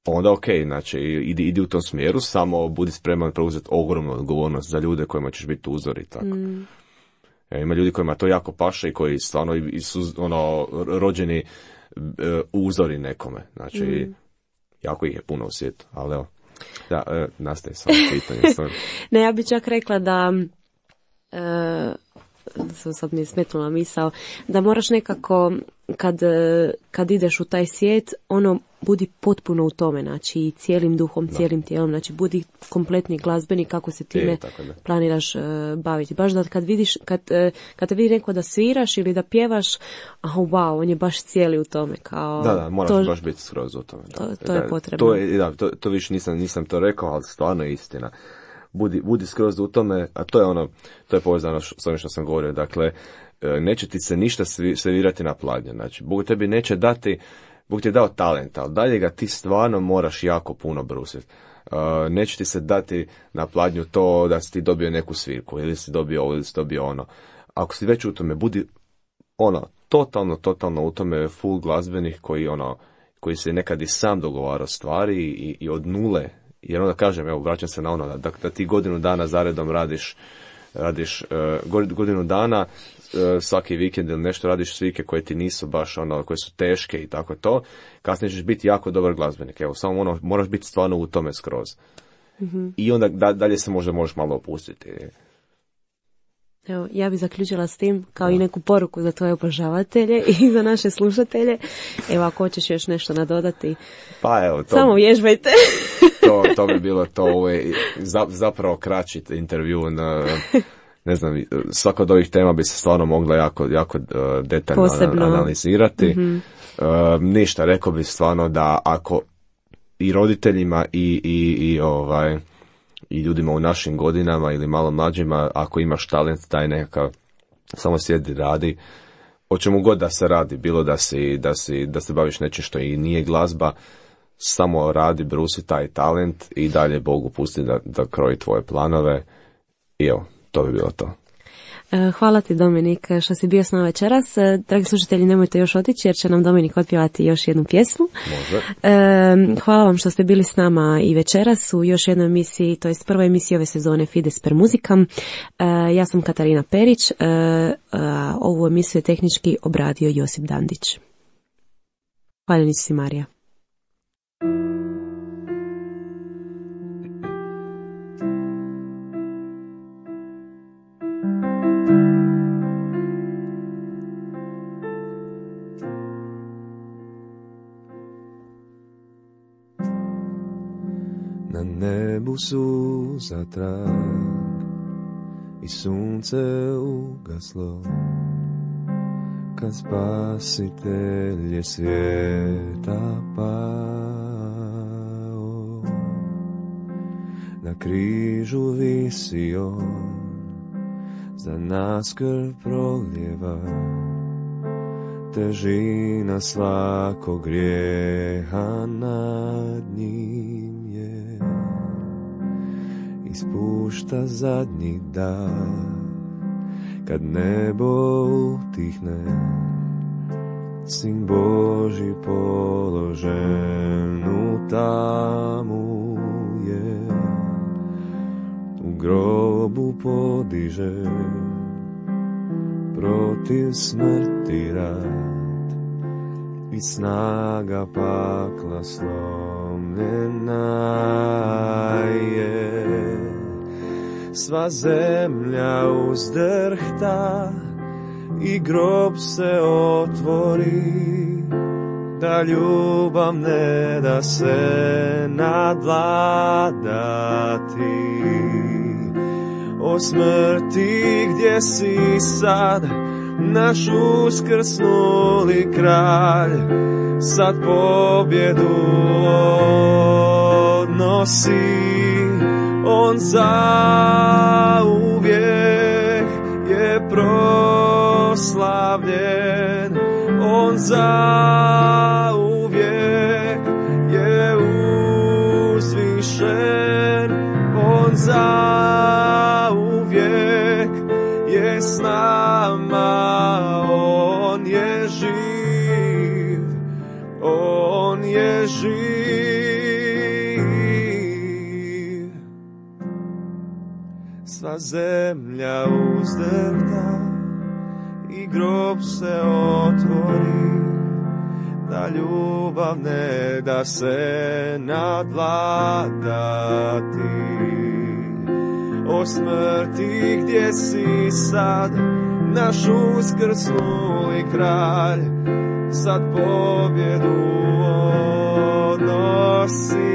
onda ok, znači idi, idi u tom smjeru, samo budi spreman preuzeti ogromnu odgovornost za ljude kojima ćeš biti uzor i tako. Mm. Ima ljudi kojima to jako paše i koji stvarno i su ono, rođeni uh, uzori nekome. Znači, mm. jako ih je puno u svijetu. Ali evo, da, uh, nastaje samo pitanje. Ne, ja bih čak rekla da, uh, sad mi je smetnula misao, da moraš nekako, kad, kad ideš u taj svijet, ono, budi potpuno u tome, znači cijelim duhom, da. cijelim tijelom, znači budi kompletni glazbenik kako se time je, planiraš uh, baviti. Baš da kad vidiš, kad, uh, kad te vidi neko da sviraš ili da pjevaš, aha, wow, on je baš cijeli u tome. Kao, da, da, moraš to, baš biti skroz u tome. Da. To, to da, je potrebno. To, je, da, to, to više nisam, nisam to rekao, ali stvarno je istina. Budi, budi skroz u tome, a to je ono, to je povezano s ovim što sam govorio, dakle, neće ti se ništa servirati na pladnju, znači, Bog tebi neće dati, Bog ti je dao talent, ali dalje ga ti stvarno moraš jako puno brusiti. Uh, neće ti se dati na pladnju to da si ti dobio neku svirku, ili si dobio ovo, ili si dobio ono. Ako si već u tome, budi ono, totalno, totalno u tome full glazbenih koji ono, koji se nekad i sam dogovarao stvari i, i od nule, jer onda kažem, evo, vraćam se na ono, da, da ti godinu dana zaredom radiš, radiš uh, godinu dana, svaki vikend ili nešto radiš svike koje ti nisu baš ono, koje su teške i tako to, kasnije ćeš biti jako dobar glazbenik. Evo, samo ono, moraš biti stvarno u tome skroz. Mm-hmm. I onda da, dalje se možda možeš malo opustiti. Evo, ja bih zaključila s tim kao da. i neku poruku za tvoje obožavatelje i za naše slušatelje. Evo, ako hoćeš još nešto nadodati, pa evo, to, samo vježbajte. to, to bi bilo to, ovo je zapravo kraći intervju na... Ne znam, svaka od ovih tema bi se stvarno mogla jako, jako uh, detaljno Posebno. analizirati. Mm-hmm. Uh, ništa, rekao bi stvarno da ako i roditeljima i, i, i, ovaj, i ljudima u našim godinama ili malo mlađima, ako imaš talent, taj nekakav, samo sjedi, radi, o čemu god da se radi, bilo da, si, da, si, da se baviš nečim što i nije glazba, samo radi, brusi taj talent i dalje Bogu pusti da, da kroji tvoje planove i evo. To bi bilo to. Hvala ti, Dominik, što si bio s nama večeras. Dragi slušatelji, nemojte još otići jer će nam Dominik otpjevati još jednu pjesmu. Može. Hvala vam što ste bili s nama i večeras u još jednoj emisiji, to jest prvoj emisiji ove sezone Fides per Musicam. Ja sam Katarina Perić. Ovu emisiju je tehnički obradio Josip Dandić. Hvala si, Marija. Na nebu su zatrak i sunce ugaslo, kad Spasitelj je svijeta pao. na križu visi on, za nas krv proljeva, težina svakog grijeha nad njim je, ispušta zadnji dah, kad nebo utihne, Sin Božji položen u tamu je, u grobu podiže protiv smrti rad i snaga pakla slomljena je. Sva zemlja uzdrhta i grob se otvori, da ljubav ne da se nadvladati. O smrti, gdje si sad, naš uskrsnuli kralj, sad pobjedu odnosi. On zauvijek je proslavljen, on zauvijek je uzvišen, on zauvijek je s nama, on je živ, on je živ. Sva zemlja uzdrhta i grob se otvori, da ljubav ne da se nadvladati. O smrti, gdje si sad, naš uskrsnuli kralj, sad pobjedu odnosi.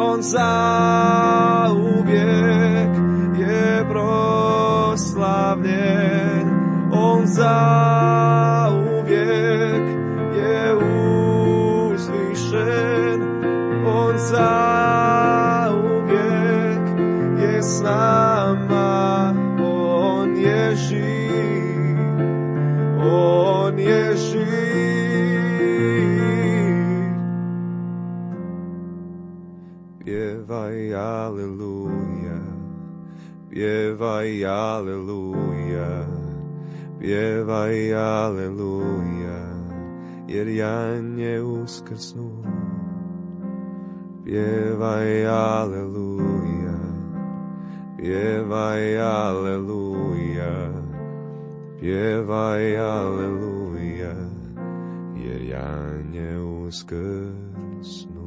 On zauvijek je proslavljen, on zauvijek je uzvišen, on zauvijek je s nama, on je živ, on je živ. Pjevaj aleluja, pjevaj aleluja, pjevaj aleluja, jer Jan je uskrsnuo. Pjevaj aleluja, pjevaj aleluja, pjevaj aleluja, jer Jan je uskrsnuo.